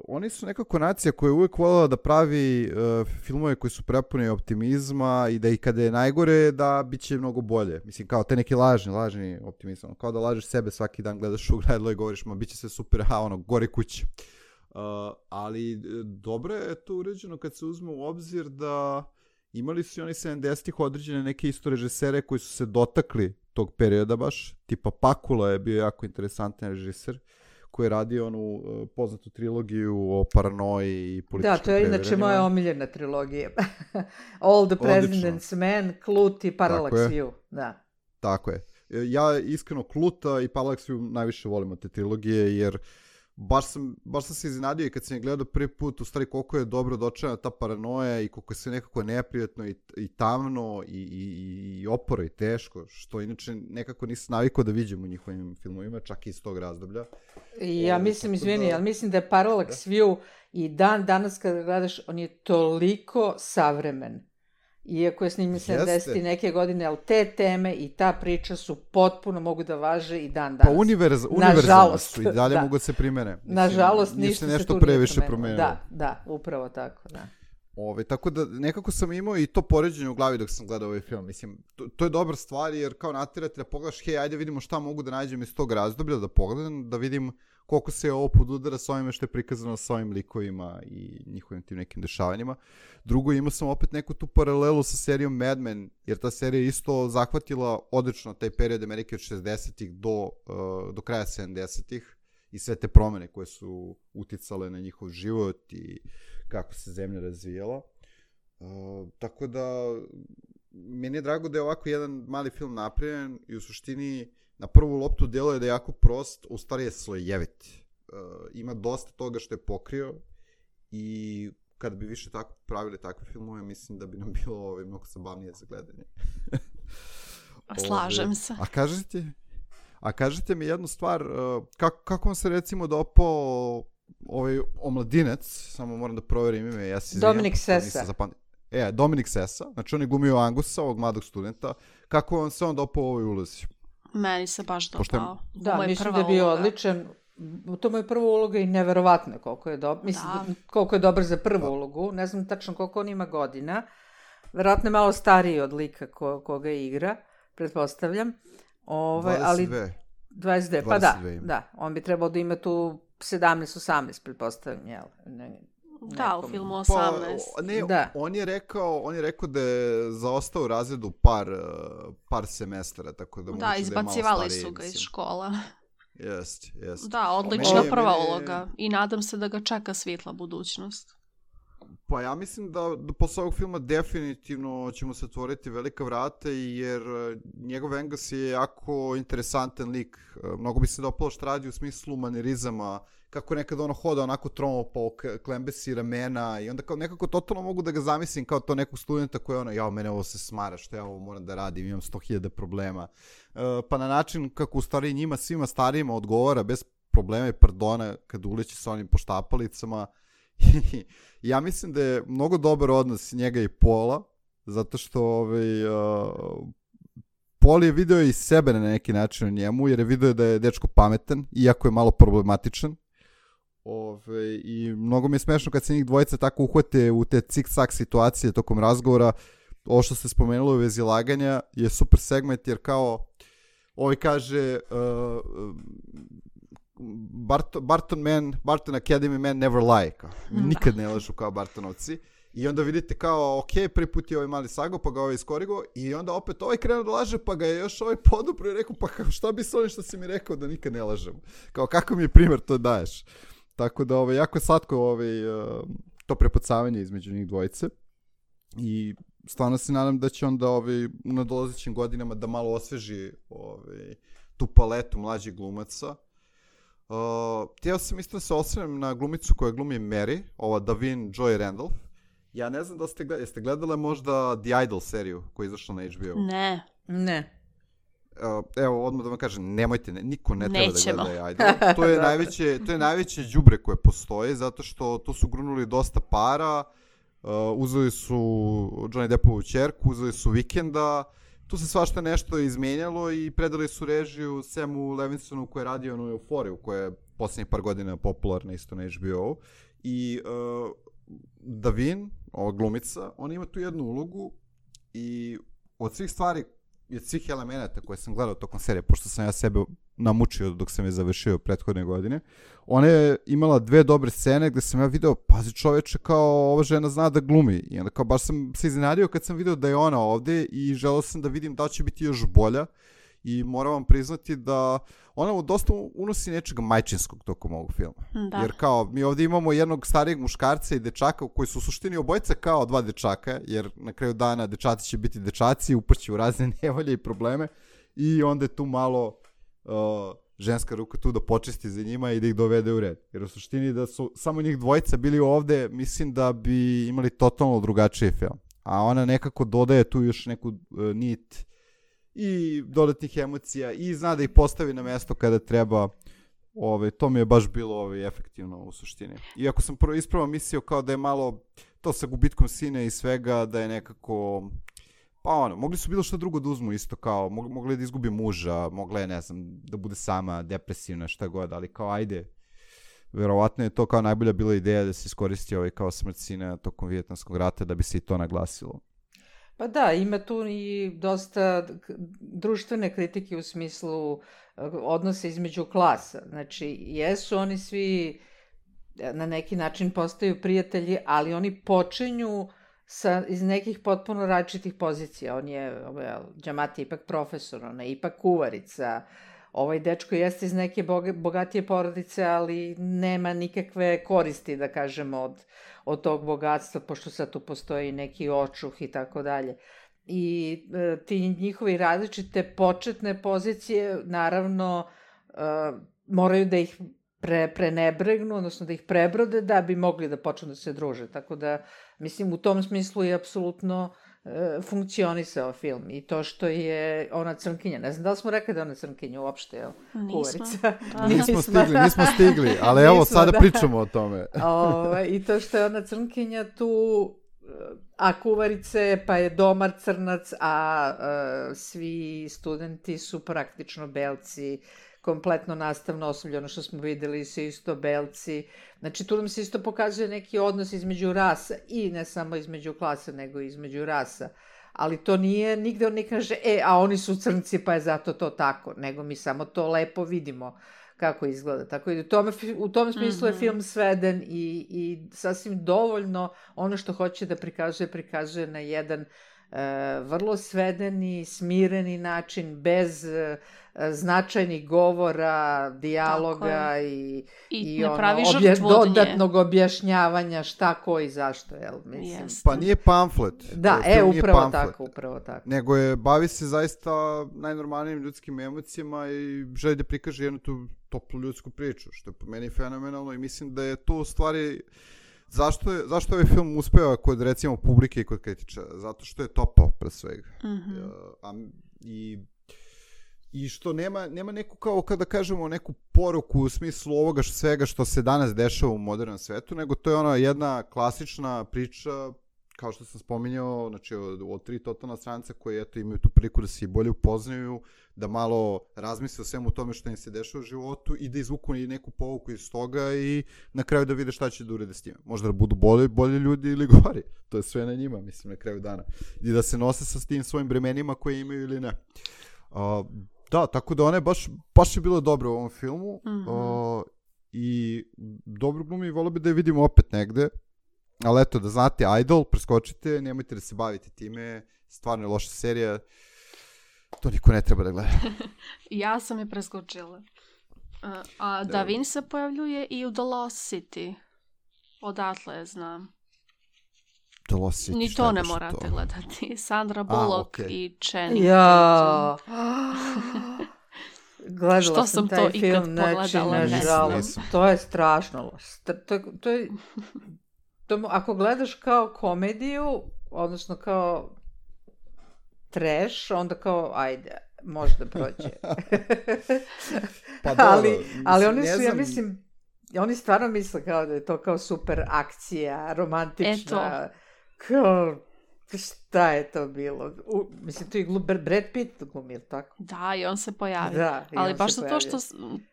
oni su nekako nacija koja je uvijek voljela da pravi filmove koji su prepuni optimizma i da i kada je najgore da bit će mnogo bolje. Mislim, kao te neki lažni optimizam. Kao da lažeš sebe svaki dan, gledaš u gledalo i govoriš, ma bit će sve super, gori kuće. Ali dobro je to uređeno kad se uzme u obzir da imali su i oni 70-ih određene neke isto režisere koji su se dotakli tog perioda baš. Tipa Pakula je bio jako interesantan režiser koji je radio onu poznatu trilogiju o paranoji i političkim previranjima. Da, to je inače moja omiljena trilogija. All the President's Men, Klut i Parallax View. Da. Tako je. Ja iskreno Kluta i Parallax View najviše volim od te trilogije, jer baš sam se iznenadio i kad sam je gledao prvi put, u stvari koliko je dobro dočena ta paranoja i koliko je sve nekako neprijatno i tamno i oporo i teško, što inače nekako nisam navikao da vidim u njihovim filmovima, čak i iz tog razdoblja. Ja mislim, izvini, ali mislim da je Parallax View i danas kada gledaš, on je toliko savremen. Iako je snimljen 70. neke godine, ali te teme i ta priča su potpuno mogu da važe i dan danas. Pa univerzalno su i dalje mogu da se primene. Nažalost, ništa se tu previše promenilo. Da, upravo tako, da. Tako da nekako sam imao i to poređenje u glavi dok sam gledao ovaj film. Mislim, to je dobra stvar jer kao naterati da pogledaš, hej, ajde vidimo šta mogu da nađem iz tog razdoblja, da pogledam, da vidim koliko se ovo podudara s ovime što je prikazano s ovim likovima i njihovim tim nekim dešavanjima. Drugo, imao sam opet neku tu paralelu sa serijom Mad Men, jer ta serija isto zahvatila odlično taj period Amerike od 60-ih do kraja 70-ih i sve te promene koje su uticale na njihov život i kako se zemlja razvijala. Tako da, meni je drago da je ovako jedan mali film napravljen i u suštini na prvu loptu djeluje da je jako prost, u stvari je slojevit. Ima dosta toga što je pokrio i kad bi više tako pravili takve filmove, mislim da bi nam bilo mnogo zabavnije za gledanje. Slažem se. A kažete mi jednu stvar, kako vam se recimo dopao omladinac, samo moram da proverim ime, ja se izvijem. Dominik Sessa. Dominik Sessa, znači on je glumio Angusa, ovog mladog studenta. Kako vam se on dopao u ovoj ulozi? Meni se baš dopao. Da, mislim da je bio odličan. To mu je prva uloga i neverovatno je koliko je dobar. Mislim, koliko je dobar za prvu ulogu. Ne znam tačno koliko on ima godina. Verovatno je malo stariji od lika koga igra, pretpostavljam. 22. 22, pa da. On bi trebao da ima tu 17-18, pretpostavljam, jel? Da, u filmu 18. On je rekao da je zaostao u razredu par semestara, tako da da, izbacivali su ga iz škola. Jest. Da, odlična prva uloga i nadam se da ga čeka svjetla budućnost. Pa ja mislim da posle ovog filma definitivno ćemo se otvoriti velika vrata, jer njegov Angus je jako interesantan lik. Mnogo bi se dopalo što radi u smislu manirizama, kako nekad ono hoda onako tromo po klembesi ramena i onda kao nekako totalno mogu da ga zamislim kao to nekog studenta koji je ono, mene ovo se smara, što ja ovo moram da radim, imam 100.000 problema. Pa na način kako u stvari njima svima starijima odgovara bez problema i pardona kad uleće sa onim poštapalicama. Ja mislim da je mnogo dobar odnos njega i Paula, zato što Paul je video i sebe na neki način u njemu, jer je video da je dečko pametan, iako je malo problematičan. I mnogo mi je smešno kad se njih dvojica tako uhvate u te cik-cak situacije tokom razgovora. Ovo što ste spomenuli u vezi laganja je super segment, jer kao kaže Barton Academy men never lie. Nikad ne lažu kao Bartonovci. I onda vidite kao, ok, prvi put je ovaj mali sago, pa ga ovaj iskorigo, i onda opet ovaj krenuo da laže, pa ga je još ovaj podupro i rekao, pa šta bi s ovim što si mi rekao da nikad ne lažem? Kao, kako mi je primjer to daješ? Tako da, jako je slatko to prepucavanje između njih dvojice. I stvarno se nadam da će onda u nadolazećim godinama da malo osveži tu paletu mlađih glumaca. Htio sam isto da se osvrnem na glumicu koja glumi Mary, ova Davin Joy Randolph. Ja ne znam da jeste gledale možda The Idol seriju koja je izašla na HBO? Ne. Evo, odmah da vam kažem, nemojte, niko ne treba Nećemo. da gleda Idol. To je najveće đubre koje postoji, zato što tu su grunuli dosta para, uzeli su Johnny Deppovu ćerku, uzeli su Weekenda, tu se svašta nešto izmenjalo i predali su režiju Samu Levinsonu koji je radio na Euforiju, koja je posljednjih par godina popularna isto na HBO. I Davin, ova glumica, ona ima tu jednu ulogu i od svih stvari i od svih elemenata koje sam gledao tokom serije, pošto sam ja sebe namučio dok sam je završio prethodne godine, ona je imala 2 dobre scene gde sam ja video, pazi čoveče, kao ova žena zna da glumi. I onda kao baš sam se iznenadio kad sam video da je ona ovde i želeo sam da vidim da će biti još bolja. I moram vam priznati da ona dosta unosi nečega majčinskog tokom ovog filma. Da. Jer kao, mi ovdje imamo jednog starijeg muškarca i dečaka koji su u suštini obojica kao 2 dečaka, jer na kraju dana dečaci će biti dečaci, upašće u razne nevolje i probleme i onda je tu malo ženska ruka tu da počisti za njima i da ih dovede u red. Jer u suštini da su samo njih dvojica bili ovde, mislim da bi imali totalno drugačiji film. A ona nekako dodaje tu još neku nit i dodatnih emocija i zna da ih postavi na mesto kada treba. To mi je baš bilo efektivno u suštini. Iako sam ispravo mislio kao da je malo to sa gubitkom sine i svega, da je nekako, pa mogli su bilo što drugo da uzmu isto, kao mogli da izgubi muža, mogla je, ne znam, da bude sama depresivna, šta god, ali kao ajde, verovatno je to kao najbolja bila ideja da se iskoristi kao smrt sina tokom Vijetnamskog rata da bi se i to naglasilo. Pa da, ima tu i dosta društvene kritike u smislu odnosa između klasa. Znači, jesu oni svi na neki način postaju prijatelji, ali oni počinju iz nekih potpuno različitih pozicija. On je, Giamatti je ipak profesor, ona je ipak kuvarica. Ovaj dečko jeste iz neke bogatije porodice, ali nema nikakve koristi, da kažemo, od tog bogatstva, pošto sad tu postoji neki očuh i tako dalje. I ti njihovi različite početne pozicije, naravno, moraju da ih prenebregnu, odnosno da ih prebrode, da bi mogli da počnu da se druže. Tako da, mislim, u tom smislu je apsolutno funkcionisao film. I to što je ona crnkinja, ne znam da li smo rekli da je ona crnkinja uopšte, jel? Kuvarica. Nismo stigli, ali evo sada pričamo o tome. I to što je ona crnkinja tu, a kuvarice, pa je domar crnac, a svi studenti su praktično belci, kompletno nastavno osoblje, ono što smo videli su isto belci. Znači, tu nam se isto pokazuje neki odnos između rasa i ne samo između klasa, nego između rasa. Ali to nije, nigde on ne kaže, a oni su crnci pa je zato to tako, nego mi samo to lepo vidimo kako izgleda. Tako i u tom smislu je film sveden i sasvim dovoljno ono što hoće da prikazuje na jedan vrlo svedeni, smireni način, bez značajnih govora, dijaloga i dodatnog objašnjavanja šta, ko i zašto, jel? Mislim. Pa nije pamflet. Da, upravo tako. Nego bavi se zaista najnormalnijim ljudskim emocijama i želi da prikaže jednu tu toplu ljudsku priču, što je po meni fenomenalno i mislim da je to u stvari. Zašto ovaj film uspeva kod, recimo, publike i kod kritičara? Zato što je topao, pre svega. I što nema neku, kao kada kažemo, neku poruku u smislu ovoga svega što se danas dešava u modernom svetu, nego to je ona jedna klasična priča, kao što sam spominjao, znači od 3 totalna stranca koji imaju tu priliku da se i bolje upoznaju, da malo razmisle o svemu tome što im se dešava u životu i da izvuku i neku pouku iz toga i na kraju da vide šta će da urede s time. Možda da budu bolji ljudi ili gori. To je sve na njima, mislim, na kraju dana. I da se nose sa tim svojim bremenima koje imaju ili ne. Da, tako da ona je baš je bilo dobro u ovom filmu. I dobro glumi, volio bi da je vidimo opet negde. Ali eto, da znate, Idol, preskočite, nemojte da se bavite time, stvarno je loša serija, to niko ne treba da gleda. Ja sam je preskočila. A Davin se pojavljuje i u The Lost City. Odatle je znam. The Lost City, Ni to ne morate gledati. Sandra Bullock i Channing Ja. Tatum. Gledala Što sam taj to film, ikad znači, pogledala, ne nažalost, znam. to je strašno. Ako gledaš kao komediju, odnosno kao trash, onda kao, ajde, može da prođe. Pa dobro, ali oni su, ja mislim, oni stvarno misle kao da je to kao super akcija, romantična, kao, šta je to bilo? Mislim, tu i Brad Pitt glumi, tako? Da, i on se pojavi. Da, ali baš zato što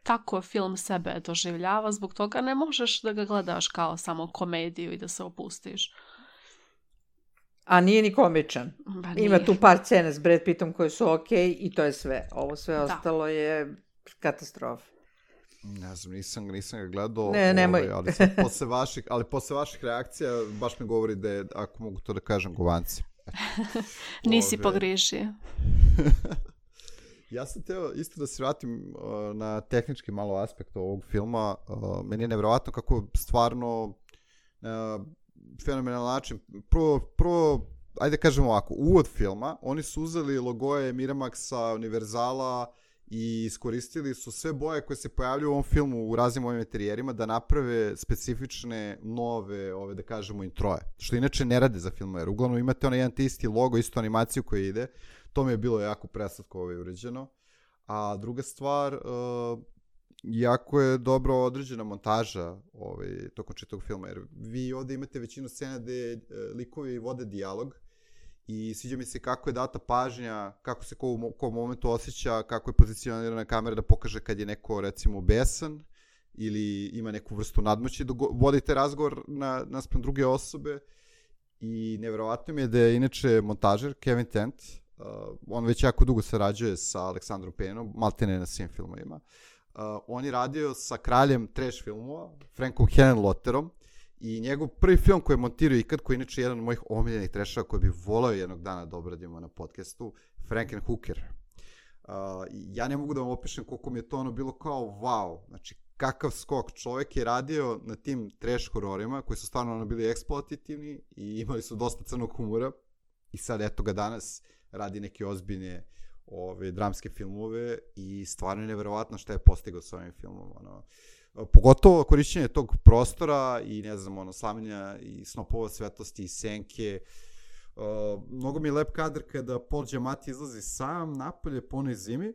tako film sebe doživljava, zbog toga ne možeš da ga gledaš kao samo komediju i da se opustiš. A nije ni komičan. Ima tu par scena s Brad Pittom koje su okej i to je sve. Ovo sve ostalo je katastrofa. Ne znam, nisam ga gledao, nemoj. ali posle vaših reakcija baš mi govori da je, ako mogu to da kažem, govanci. Nisi pogriješio. Ja sam teo isto da se vratim na tehnički malo aspekt ovog filma. Meni je nevjerovatno kako stvarno fenomenalan način. Prvo, ajde kažemo ovako, uvod filma, oni su uzeli logoje Miramaxa, Univerzala i iskoristili su sve boje koje se pojavljaju u ovom filmu u raznim ovim interijerima da naprave specifične nove, da kažemo, introje. Što inače ne rade za filmove, jer uglavnom imate onaj jedan te isti logo, istu animaciju koja ide. To mi je bilo jako preslatko uređeno. A druga stvar, jako je dobro određena montaža tokom čitavog filma, jer vi ovdje imate većinu scena gde likovi vode dijalog i sviđa mi se kako je data pažnja, kako se ko u momentu osjeća, kako je pozicionirana kamera da pokaže kad je neko, recimo, besan ili ima neku vrstu nadmoći dok vodite razgovor naspram druge osobe. I nevjerovatno mi je da je inače montažer Kevin Tent, on već jako dugo sarađuje sa Aleksandrom Payneom, maltene na svim filmovima. On je radio sa kraljem trash filmova, Frankom Henenlotterom, i njegov prvi film koji je montirao ikad, koji je inače jedan od mojih omiljenih trashova koji bih volao jednog dana da obradimo na podcastu, Frankenhooker. Ja ne mogu da vam opišem koliko mi je to bilo kao wow, znači kakav skok. Čovjek je radio na tim trash hororima koji su stvarno bili eksploatativni i imali su dosta crnog humora i sad eto ga danas radi neke ozbiljne dramske filmove i stvarno je nevjerovatno šta je postigao s ovim filmom. Pogotovo korišćenje tog prostora i ne znam, slavljenja i snopova svetlosti i senke. Mnogo mi je lep kadar kada Paul Giamatti izlazi sam napolje po onoj zimi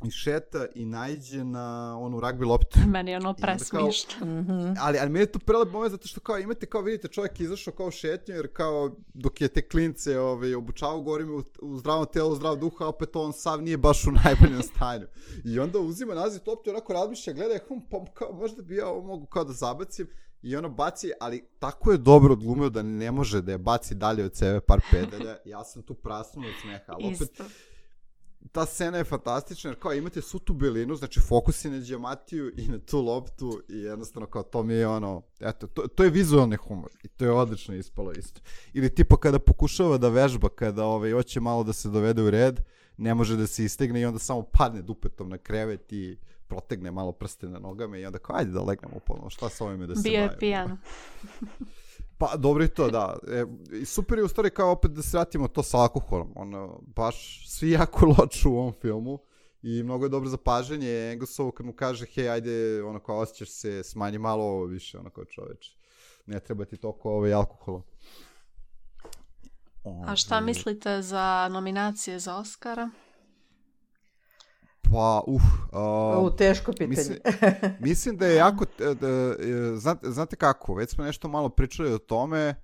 i šeta i naiđe na onu ragbi loptu. Meni je ono presmišno. Ali meni je to prelep moment zato što kao imate, kao vidite, čovjek je izašao kao šetnju, jer kao dok je te klince obučavao, govorim u zdravom telu, u zdrav duha, opet on sav nije baš u najboljem stanju. I onda uzima naziv loptu, onako razmišlja, gleda, pa kao možda bi ja ovo mogu kao da zabacim, i ono baci, ali tako je dobro odglumio da ne može da je baci dalje od sebe par pedalja. Ja sam tu prasnuo od smeha, ali opet ta scena je fantastična, jer kao imate svu tu belinu, znači fokus je na Giamatiju i na tu loptu i jednostavno kao to mi je eto, to je vizualni humor i to je odlično ispalo isto. Ili tipa kada pokušava da vežba, kada hoće malo da se dovede u red, ne može da se istegne i onda samo padne dupetom na krevet i protegne malo prste na nogama i onda kao ajde da legnemo ponovno, šta sa ovime da se bavimo. Bio je pijan. Pa dobro i to, da. I super je u stvari kao opet da se vratimo to sa alkoholom. Baš svi jako loču u ovom filmu i mnogo je dobro zapažanje Angusovo kad mu kaže hej, ajde, kao osjećaš se, smanji malo ovo više, kao čoveč. Ne treba ti toliko alkohola. A šta mislite za nominacije za Oscara? Pa, teško pitanje. Mislim da je jako, znate kako, već smo nešto malo pričali o tome,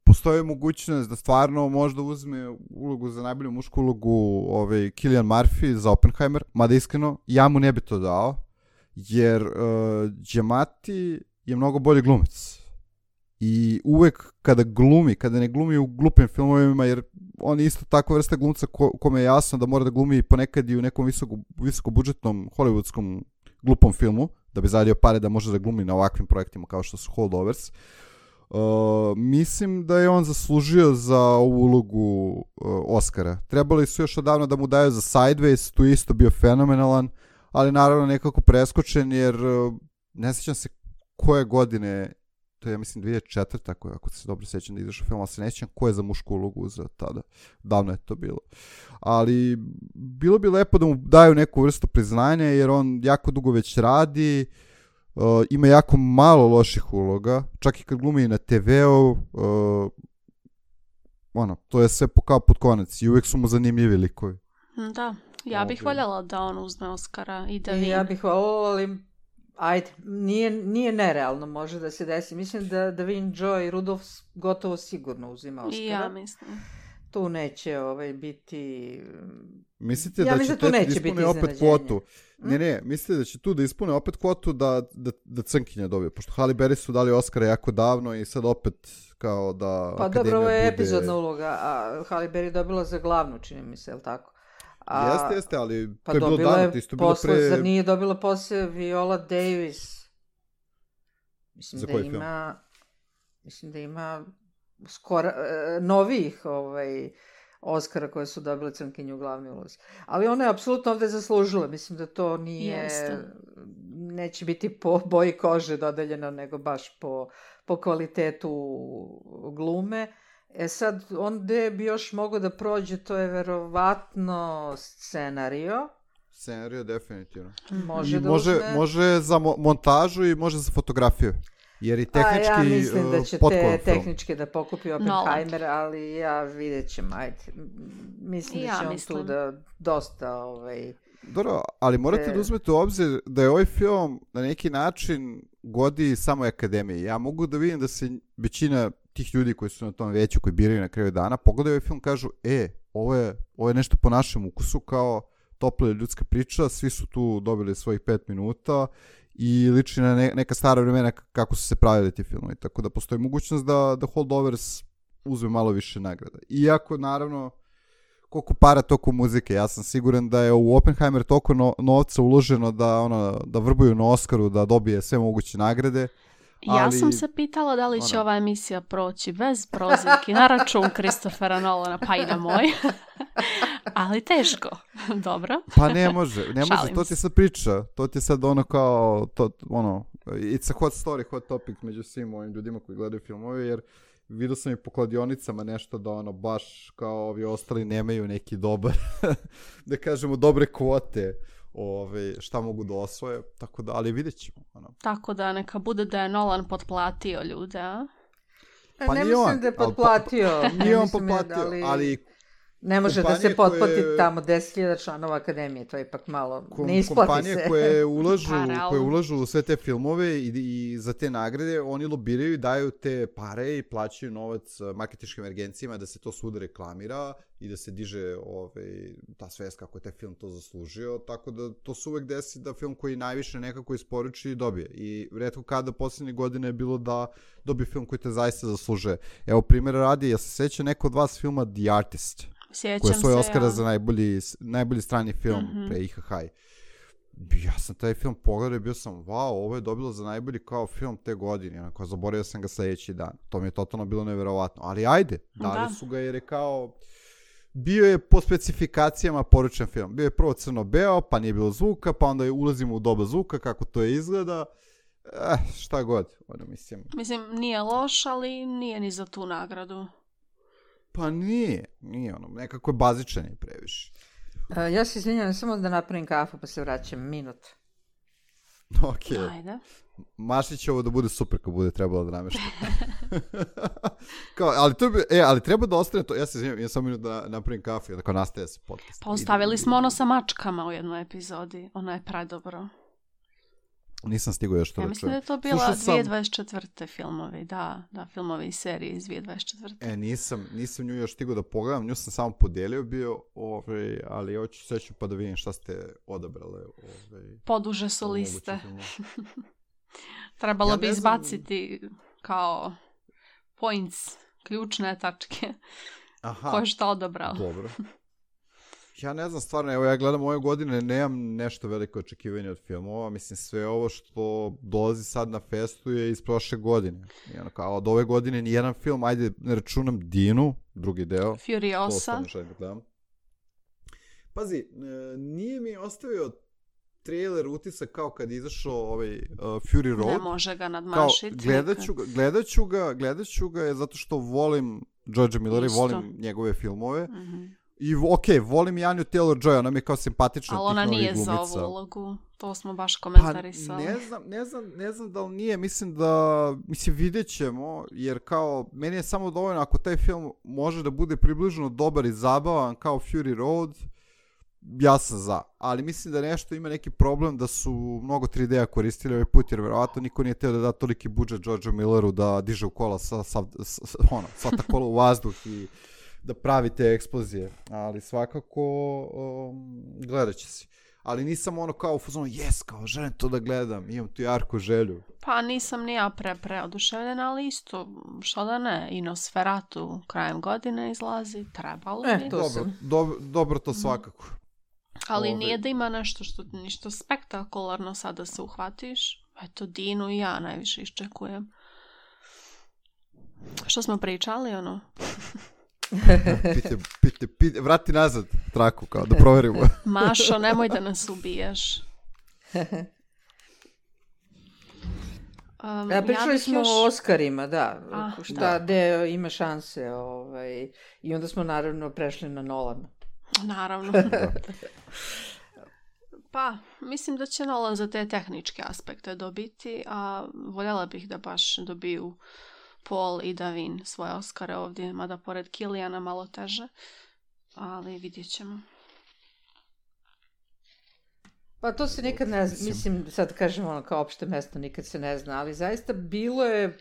postoji mogućnost da stvarno možda uzme ulogu za najbolju mušku ulogu Cillian Murphy za Oppenheimer, mada iskreno, ja mu ne bi to dao, jer Giamatti je mnogo bolji glumac. I uvek kada ne glumi u glupim filmovima, jer on je isto takva vrsta glumca kome je jasno da mora da glumi ponekad i u nekom visokobudžetnom hollywoodskom glupom filmu, da bi zaradio pare da može da glumi na ovakvim projektima kao što su Holdovers. Mislim da je on zaslužio za ovu ulogu Oscara. Trebali su još odavno da mu daju za Sideways, tu je isto bio fenomenalan, ali naravno nekako preskočen, jer ne sjećam se koje godine, to je ja mislim 2004. Ako se dobro sjećam da izašao film, ali se ne sjećam ko je za mušku ulogu za tada. Davno je to bilo. Ali bilo bi lepo da mu daju neku vrstu priznanja, jer on jako dugo već radi, ima jako malo loših uloga, čak i kad glumi na TV-u, to je sve kao pod konac i uvijek su mu zanimljivi likovi. Da, ja bih voljela da on uzme Oscara i da ja bih voljela, ali ajde, nije nerealno, može da se desi. Mislim da Davin Joy Rudolph gotovo sigurno uzima Oscara. I ja mislim. Tu neće biti... Mislite da će tu ispune opet kvotu? Ne, mislite da će tu da ispune opet kvotu da Crnkinja dobije? Pošto Halle Berry su dali Oscara jako davno i sad opet kao da pa dobro, ovo je epizodna uloga, a Halle Berry dobila za glavnu, čini mi se, je li tako? Jeste, ali pa to je bilo davno, isto bilo pre... Zar nije dobila posle Viola Davis? Mislim za da koji ima... film? Mislim da ima skoro novih Oscara koje su dobile Crnkinju u glavnoj ulozi. Ali ona je apsolutno ovde zaslužila. Mislim da to nije... Neće biti po boji kože dodeljeno, nego baš po kvalitetu glume. Sad, onda bi još mogao da prođe, to je verovatno scenario. Scenario, definitivno. Može za montažu i može za fotografiju. Jer i tehnički ja mislim da će te tehničke da pokupi Oppenheimer, ali ja vidjet ćem, ajde. Mislim da će on tu da dosta... Dobro, ali morate da uzmete u obzir da je ovaj film na neki način godi samo akademiji. Ja mogu da vidim da se većina tih ljudi koji su na tom veću, koji biraju na kraju dana, pogledaju ovaj film, kažu, ovo je nešto po našem ukusu, kao topla ljudska priča, svi su tu dobili svojih 5 minuta i liči na neka stara vremena kako su se pravili ti filmovi. Tako da postoji mogućnost da Holdovers uzme malo više nagrada. Iako, naravno, koliko para, toliko muzike. Ja sam siguran da je u Oppenheimer toliko novca uloženo da vrbuju na Oscaru, da dobije sve moguće nagrade. Ja sam se pitala da li će ova emisija proći bez prozivki na račun Christophera Nolana, pa i na moj. Ali teško. Dobro. Pa ne može, to ti je sad priča. To ti je sad kao, it's a hot story, hot topic među svim ovim ljudima koji gledaju filmove, jer vidio sam i po kladionicama nešto da baš kao ovi ostali nemaju neki dobar, da kažemo, dobre kvote. Šta mogu da osvoje, tako da, ali vidjet ćemo. Tako da neka bude da je Nolan potplatio ljude, a? Pa ne mislim da je potplatio. Nije on potplatio, ali ne može da se potplati tamo 10.000 članova akademije, to je ipak malo, ne isplati kompanije se. koje ulažu u sve te filmove i za te nagrade, oni lobiraju i daju te pare i plaćaju novac marketinškim agencijama da se to svuda reklamira i da se diže ta svest kako je taj film to zaslužio, tako da to se uvek desi da film koji najviše nekako isporuči dobije. I retko kada posljednje godine je bilo da dobije film koji te zaista zaslužuje. Evo, primjer radi, ja se sjeća neko od vas filma The Artist, koji je svoj Oscara za najbolji strani film pre IHH. Ja sam taj film pogledao i bio sam, ovo je dobilo za najbolji kao film te godine. Zaboravio sam ga sljedeći dan. To mi je totalno bilo neverovatno. Ali ajde, dali su ga jer je kao... Bio je po specifikacijama poručen film. Bio je prvo crno-beo, pa nije bilo zvuka, pa onda ulazimo u doba zvuka, kako to izgleda. Šta god, mislim. Mislim, nije loš, ali nije ni za tu nagradu. Pa nije nekako je bazičan i previše. Ja se izvinjam, samo da napravim kafu pa se vraćam, minut. Ok. Ajde. Maši će ovo da bude super kad bude trebalo da namešta. Ali treba da ostane to. Ja se izvinjam, ja sam minut da napravim kafu i da nastaje se podcast. Pa ostavili smo ono sa mačkama u jednoj epizodi. Ono je predobro. Nisam stigao još to da čujem. Ja mislim da je to bila 2024. filmovi. Da, filmovi i serije iz 2024. Nisam nju još stigao da pogledam. Nju sam samo podelio bio, ali hoću seću pa da vidim šta ste odabrale. Poduže su liste. Trebalo bi izbaciti kao points, ključne tačke. Ko je šta odabrao. Dobro. Ja ne znam, stvarno, evo ja gledam ove godine, nemam nešto veliko očekivanje od filmova, mislim sve ovo što dolazi sad na festu je iz prošle godine. I ono kao, od ove godine nijedan film, ajde ne računam Dinu, drugi deo. Furiosa. Pazi, nije mi ostavio trailer utisak kao kad je izašao ovaj Fury Road. Ne može ga nadmašiti. Gledat ću ga je zato što volim Georgea Millera i volim njegove filmove. I volim i Anju Taylor-Joy, ona mi je kao simpatična. Ali ona nije za ovu ulogu, to smo baš komentarisali. Pa ne znam da li nije, mislim vidjet ćemo, jer kao, meni je samo dovoljno ako taj film može da bude približno dobar i zabavan kao Fury Road, ja sam za. Ali mislim da nešto ima neki problem da su mnogo 3D-a koristili ovaj put, jer verovatno niko nije teo da da toliki budžet Georgeu Milleru da diže u kola sva ta kola u vazduh i da pravi te eksplozije, ali svakako gledat će si. Ali nisam ono kao u fazonu, kao želim to da gledam, imam tu jarku želju. Pa nisam ni ja preoduševljena, ali isto, što da ne, i Nosferatu krajem godine izlazi, trebalo bi. Dobro to svakako. Ali nije da ima ništa spektakularno sad da se uhvatiš. Eto, Dinu i ja najviše iščekujem. Što smo pričali, ono? Vrati nazad traku, kao da proverimo. Mašo, nemoj da nas ubijaš. Pričali smo o Oscarima, da. Gde ima šanse. I onda smo naravno prešli na Nolana. Naravno. Pa, mislim da će Nolan za te tehničke aspekte dobiti, a voljela bih da baš dobiju Paul i Davin svoje Oscare ovdje, mada pored Killiana malo teže, ali vidjet ćemo. Pa to se nikad ne zna, mislim, sad kažem ono kao opšte mesto, nikad se ne zna, ali zaista bilo je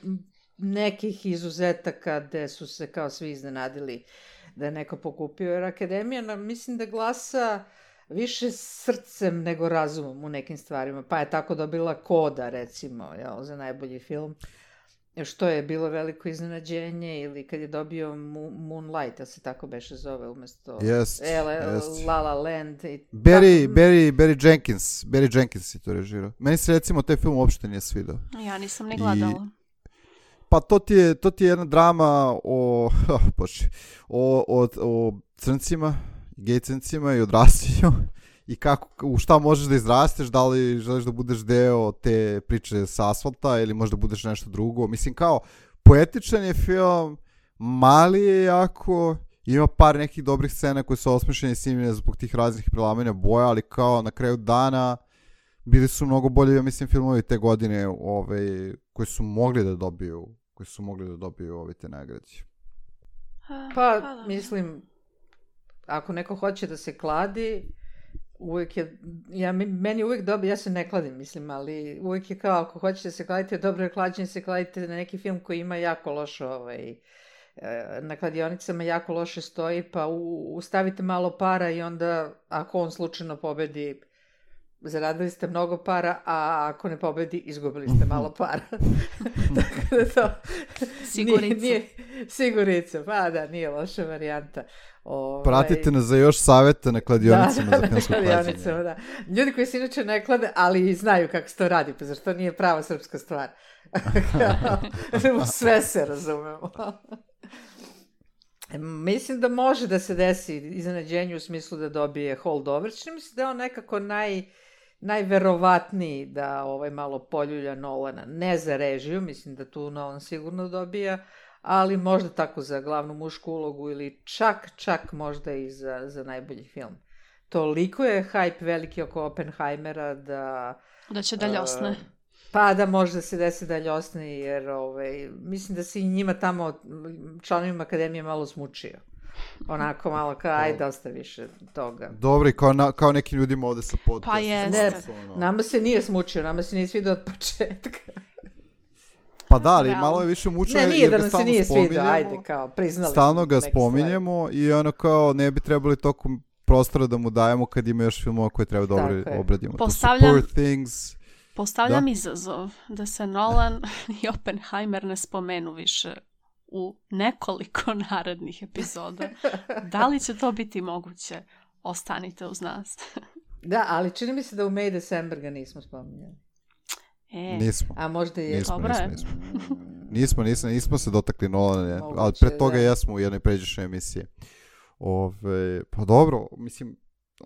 nekih izuzetaka gde su se kao svi iznenadili da je neko pokupio, jer Akademija mislim da glasa više srcem nego razumom u nekim stvarima, pa je tako dobila Koda, recimo, za najbolji film. Što je bilo veliko iznenađenje, ili kad je dobio Moonlight, se tako beše zove, umesto La La Land. Barry Jenkins je to režirao. Meni se recimo taj film uopšte nije svidao. Ja nisam ni gledala. Pa to ti je jedna drama o crncima, gej crncima i odrastanju. I u šta možeš da izrasteš, da li želiš da budeš deo te priče sa asfalta ili možda budeš nešto drugo. Mislim kao, poetičan je film, mali je jako, ima par nekih dobrih scena koje su osmišljene i snimljene zbog tih raznih prelamanja boja, ali kao na kraju dana bili su mnogo bolji, ja mislim, filmovi te godine koji su mogli da dobiju te nagrade. Pa, mislim, ako neko hoće da se kladi, uvijek je, meni uvijek dobro, ja se ne kladim, mislim, ali uvijek je kao, ako hoćete se kladiti, dobro je klađenje, se kladite na neki film koji ima jako loše, na kladionicama jako loše stoji, pa ustavite malo para i onda, ako on slučajno pobedi, zaradili ste mnogo para, a ako ne pobedi, izgubili ste malo para. Tako da to... Sigurica, pa da, nije loša varijanta. Pratite nas za još savjeta na kladionicama za filmsko klađenje. Da. Ljudi koji se inače ne klade, ali znaju kako se to radi, pa zašto nije prava srpska stvar. Sve se razumemo. Mislim da može da se desi iznenađenje u smislu da dobije holdover. Mislim da je on nekako najverovatniji da malo poljulja Nolana. Ne za režiju, mislim da tu Nolan sigurno dobija, ali možda tako za glavnu mušku ulogu ili čak možda i za najbolji film. Toliko je hype veliki oko Oppenheimera da će da ljosne. Pa da možda se desi da ljosne, jer mislim da se i njima tamo, članovima Akademije, malo smučio. Onako malo kao, ajde, dosta više toga. Dobro, i kao nekim ljudima ovde sa podcasta. Pa jeste. Nama se nije smučio, nama se nije svidio od početka. Pa da, ali malo je više mučio. Ne, nije da nam se nije svidio, ajde, kao, priznali. Stalno ga spominjemo i ono kao ne bi trebali tokom prostora da mu dajemo kad ima još filmova koje treba dobro obradimo. Postavljam izazov da se Nolan i Oppenheimer ne spomenu više u nekoliko narednih epizoda. Da li će to biti moguće? ostanite uz nas. Da, ali čini mi se da u May December ga nismo spominjali. Nismo. A možda je. Nismo se dotakli Nolana, Moguće, ali pre toga da. jesmo u jednoj pređašnjoj emisiji. Pa dobro, mislim,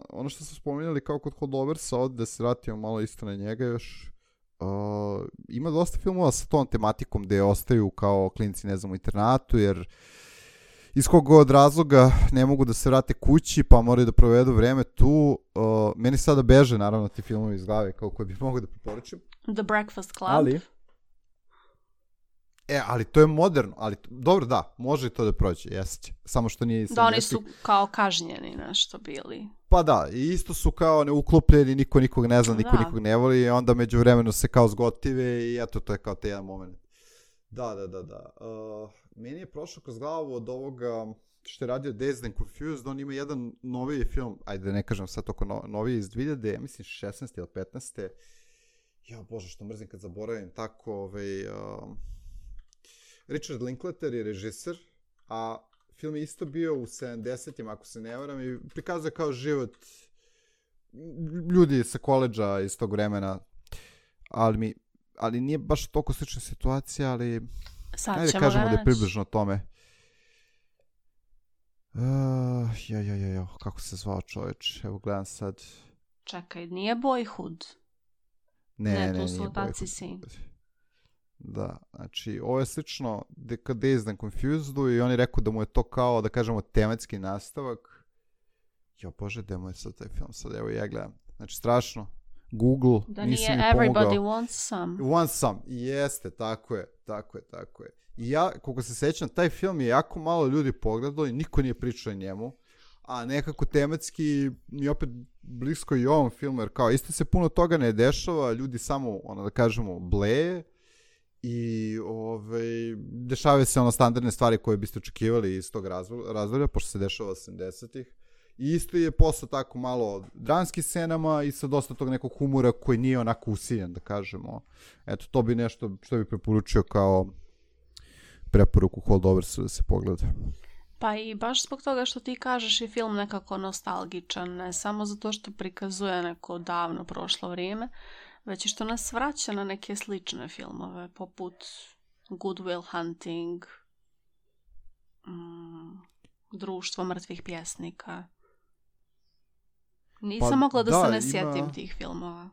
ono što smo spominjali kao kod Holdoversa, ovdje da se vratimo malo isto na njega još, ima dosta filmova sa tom tematikom gde ostaju kao klinci, ne znam, u internatu, jer iz kog god razloga ne mogu da se vrate kući, pa moraju da provedu vreme tu. Meni sada beže, naravno, ti filmovi iz glave kao koji bih mogao da preporučim. The Breakfast Club. Ali to je moderno, ali dobro, da, može i to da prođe, jeste. Samo što nije... Da, oni su kao kažnjeni nešto bili. Pa da, i isto su kao neuklopljeni, niko nikog ne zna, niko nikog ne voli, i onda međuvremeno se kao zgotive i eto, to je kao te jedan moment. Da. Meni je prošlo kroz glavu od ovoga što je radio Dazed and Confused, on ima jedan noviji film, ajde da ne kažem sad toko noviji iz 2000, mislim 16. ili 15. Ja, bože, što mrzim kad zaboravim, tako, Richard Linklater je režiser, a film je isto bio u 70-im, ako se ne varam, i prikazuje kao život ljudi sa koledža iz tog vremena, ali nije baš toliko slična situacija, ali ajde kažemo da je približno tome. Kako se zvao čovječ? Evo gledam sad. Čekaj, nije Boyhood? Ne, tu su nije otaci Boyhood. sin. Da, znači, ovo je slično Dazed and Confusedu i on je rekao da mu je to kao, da kažemo, tematski nastavak. Bože, gde mu je sad taj film? Sad, evo ja gledam. Znači, strašno. Google, da nisi mi nije pomogao. Everybody Wants Some. Wants Some, jeste, tako je. I ja, koliko se sećam, taj film je jako malo ljudi pogledalo i niko nije pričao o njemu, a nekako tematski mi opet blisko i ovom filmu, jer kao isto se puno toga ne dešava, ljudi samo, da kažemo, bleje i dešavaju se standardne stvari koje biste očekivali iz tog razdoblja, pošto se dešava 80-ih. I isto je posao tako malo dramskih scenama i sa dosta tog nekog humora koji nije onako usiljen, da kažemo. Eto, to bi nešto što bi preporučio kao preporuku Holdoversu da se pogleda. Pa i baš zbog toga što ti kažeš je film nekako nostalgičan, ne samo zato što prikazuje neko davno prošlo vrijeme, već i što nas vraća na neke slične filmove, poput Good Will Hunting, Društvo mrtvih pjesnika. Nisam mogla da se ne sjetim tih filmova.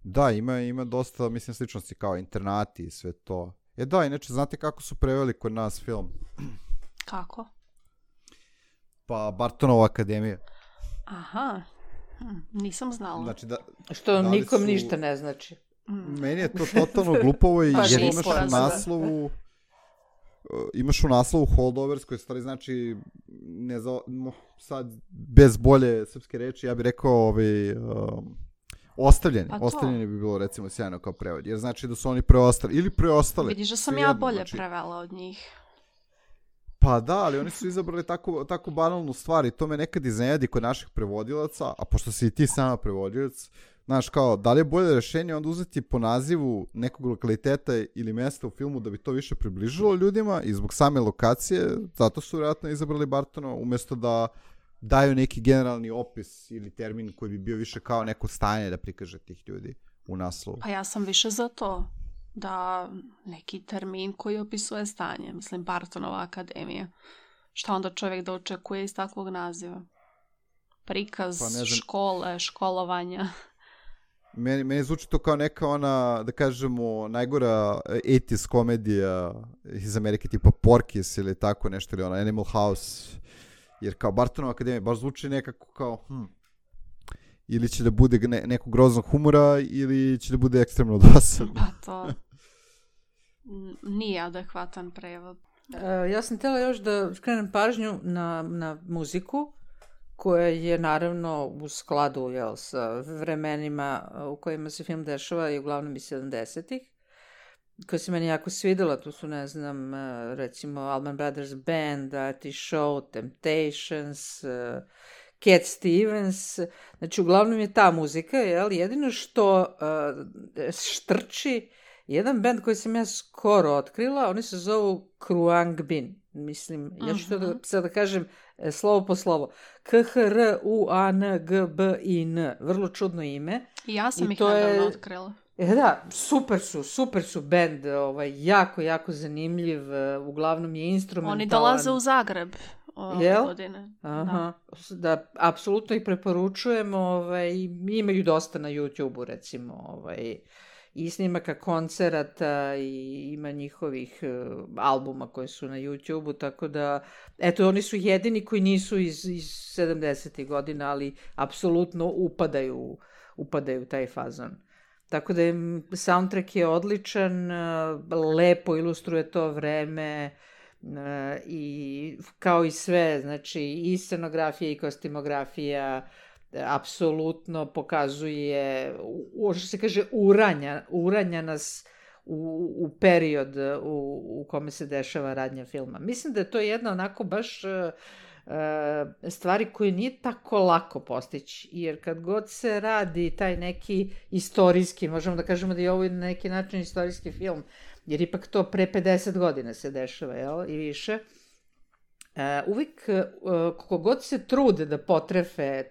Da, ima dosta, mislim, sličnosti kao internati i sve to. Da, inače, znate kako su preveli kod nas film? Kako? Pa Bartonova akademija. Aha, nisam znala. Znači što nikom ništa ne znači. Meni je to totalno glupovo i jer imaš u naslovu Holdovers, koji stvari znači, sad bez bolje srpske reči, ja bih rekao ostavljeni. Ostavljeni bi bilo recimo sjajno kao prevod, jer znači da su oni preostali ili preostali. Vidiš da sam ja bolje prevela od njih. Pa da, ali oni su izabrali tako banalnu stvar i to me nekad iznenadi kod naših prevodilaca, a pošto si i ti sama prevodilac, znaš, kao, da li je bolje rešenje onda uzeti po nazivu nekog lokaliteta ili mjesta u filmu da bi to više približilo ljudima i zbog same lokacije, zato su vjerojatno izabrali Bartona, umjesto da daju neki generalni opis ili termin koji bi bio više kao neko stanje da prikaže tih ljudi u naslovu. Pa ja sam više za to, da neki termin koji opisuje stanje, mislim Bartonova akademija. Šta onda čovjek da očekuje iz takvog naziva? Prikaz škole, školovanja. Meni zvuči to kao neka ona, da kažemo, najgora 80s komedija iz Amerike, tipa Porky's ili tako nešto, ili ona Animal House, jer kao Bartonova akademija baš zvuči nekako kao, ili će da bude nekog groznog humora, ili će da bude ekstremno dosadno. Pa to nije adekvatan prevod. Ja sam htjela još da skrenem pažnju na muziku, koja je naravno u skladu sa vremenima u kojima se film dešava i uglavnom i 70-ih, koja se meni jako svidela. Tu su, ne znam, recimo Allman Brothers Band, Artie Shaw, Temptations, Cat Stevens. Znači, uglavnom je ta muzika, jedino što štrči jedan band koji sam ja skoro otkrila, oni se zovu Kruang Bin. Mislim, ja ću to sad da kažem slovo po slovo. Khruanggbin. Vrlo čudno ime. I ja sam I ih to je- nedavno otkrila. Da, super su bend, jako zanimljiv, uglavnom je instrumentalan. Oni dolaze u Zagreb ove Jel? godine. Aha, da, apsolutno ih preporučujem, imaju dosta na YouTube-u, recimo, i snimaka koncerata i ima njihovih albuma koji su na YouTube-u, tako da, eto, oni su jedini koji nisu iz 70. godina, ali apsolutno upadaju u taj fazon. Tako da soundtrack je odličan, lepo ilustruje to vreme, i kao i sve, znači i scenografija i kostimografija apsolutno pokazuje, što se kaže, uranja nas u period u kome se dešava radnja filma. Mislim da je to jedna onako baš stvari koje nije tako lako postići, jer kad god se radi taj neki istorijski, možemo da kažemo da je ovo na neki način istorijski film, jer ipak to pre 50 godina se dešava, jel, i više. Uvijek, kako god se trude da potrefe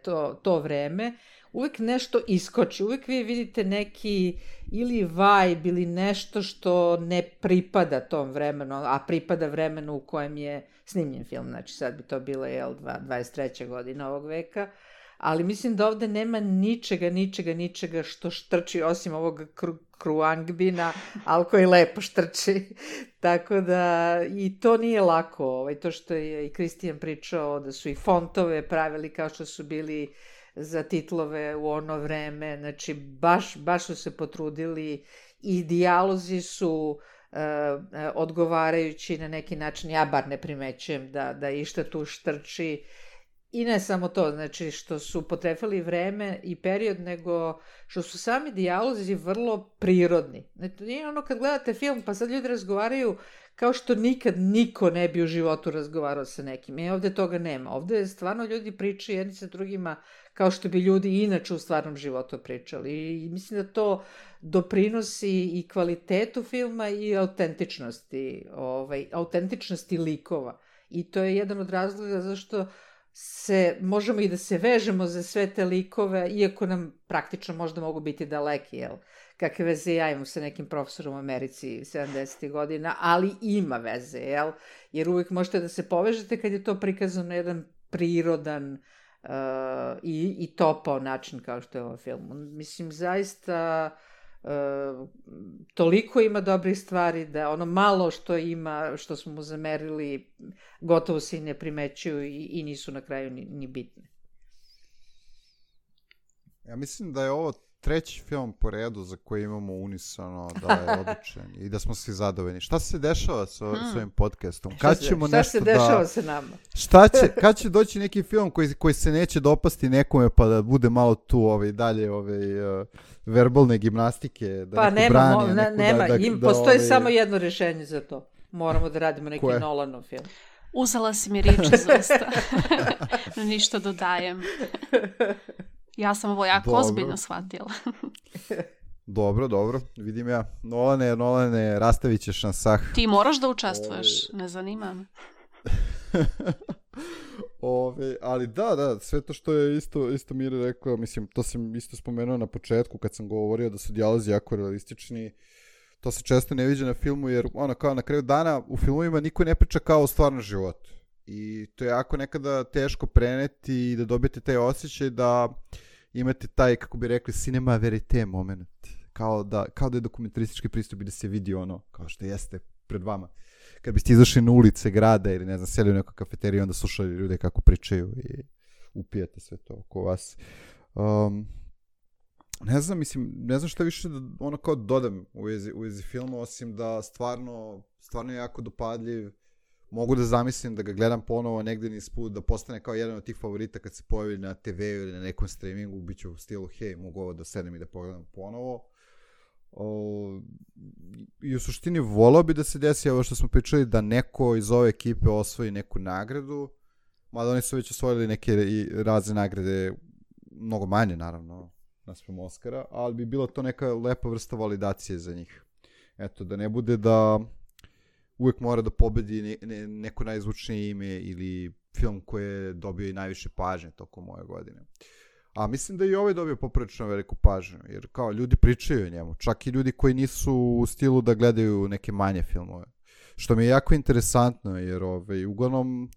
to vreme, uvijek nešto iskoči, uvijek vi vidite neki ili vibe ili nešto što ne pripada tom vremenu, a pripada vremenu u kojem je snimljen film, znači sad bi to bilo 23. godina ovog veka, ali mislim da ovde nema ničega što štrči osim ovog Khruangbina, ali koji lepo štrči. Tako da i to nije lako, to što je i Kristijan pričao, da su i fontove pravili kao što su bili za titlove u ono vreme, znači baš su se potrudili i dijalozi su odgovarajući na neki način, ja bar ne primećujem da išta tu štrči. I ne samo to, znači što su potrefali vreme i period, nego što su sami dijalozi vrlo prirodni. Znači, nije ono kad gledate film pa sad ljudi razgovaraju kao što nikad niko ne bi u životu razgovarao sa nekim. Ovde toga nema. Ovde stvarno ljudi pričaju jedni sa drugima kao što bi ljudi inače u stvarnom životu pričali. I mislim da to doprinosi i kvalitetu filma i autentičnosti likova. I to je jedan od razloga zašto možemo i da se vežemo za sve te likove, iako nam praktično možda mogu biti daleki, jel? Kakve veze ja imam sa nekim profesorom u Americi 70. godina, ali ima veze, jel? Jer uvijek možete da se povežete kad je to prikazano na jedan prirodan i topao način kao što je ovo film. Mislim, zaista toliko ima dobrih stvari da ono malo što ima, što smo mu zamerili, gotovo se i ne primećuju i nisu na kraju ni bitne. Ja mislim da je ovo treći film po redu za koji imamo unisano da je odličan i da smo svi zadovoljni. Šta se dešava sa ovim podcastom? Šta se dešava sa nama? Kad će doći neki film koji se neće dopasti nekome pa da bude malo tu dalje verbalne gimnastike, da pa neko brani. nema, postoji samo jedno rješenje za to. Moramo da radimo neki Nolanov film. Uzela si mi riječ iz usta. Ništa dodajem. Ja sam ovo jako ozbiljno shvatila. Dobro, vidim ja. Nolane, rastavit ćeš na sah. Ti moraš da učestvuješ, ne zanima me. Ali da, sve to što je isto Mira rekao, mislim, to sam isto spomenuo na početku kad sam govorio da su dijalozi jako realistični. To se često ne viđa na filmu, jer kao na kraju dana u filmovima niko ne priča kao u stvarnom životu. I to je jako nekada teško preneti i da dobijete taj osjećaj da imate taj, kako bi rekli, cinema verite moment. Kao da je dokumentaristički pristup i da se vidi ono, kao što jeste pred vama. Kad biste izašli na ulice grada ili ne znam, sjeli u nekoj kafeteriji, onda slušali ljude kako pričaju i upijate sve to oko vas. Ne znam šta više da kao dodam u vezi filma, osim da stvarno je jako dopadljiv. Mogu da zamislim da ga gledam ponovo negdje niz put, da postane kao jedan od tih favorita kad se pojavi na TV ili na nekom streamingu, bit će u stilu, hej, mogu ovo da sedem i da pogledam ponovo. I u suštini volao bi da se desi ovo što smo pričali, da neko iz ove ekipe osvoji neku nagradu, mada oni su već osvojili neke i razne nagrade, mnogo manje naravno, naspram Oscara, ali bi bila to neka lepa vrsta validacije za njih. Eto, da ne bude da uvijek mora da pobedi neko najzvučnije ime ili film koji je dobio i najviše pažnje tokom ove godine. A mislim da i ovaj dobio poprilično veliku pažnju, jer kao ljudi pričaju o njemu, čak i ljudi koji nisu u stilu da gledaju neke manje filmove. Što mi je jako interesantno, jer uglavnom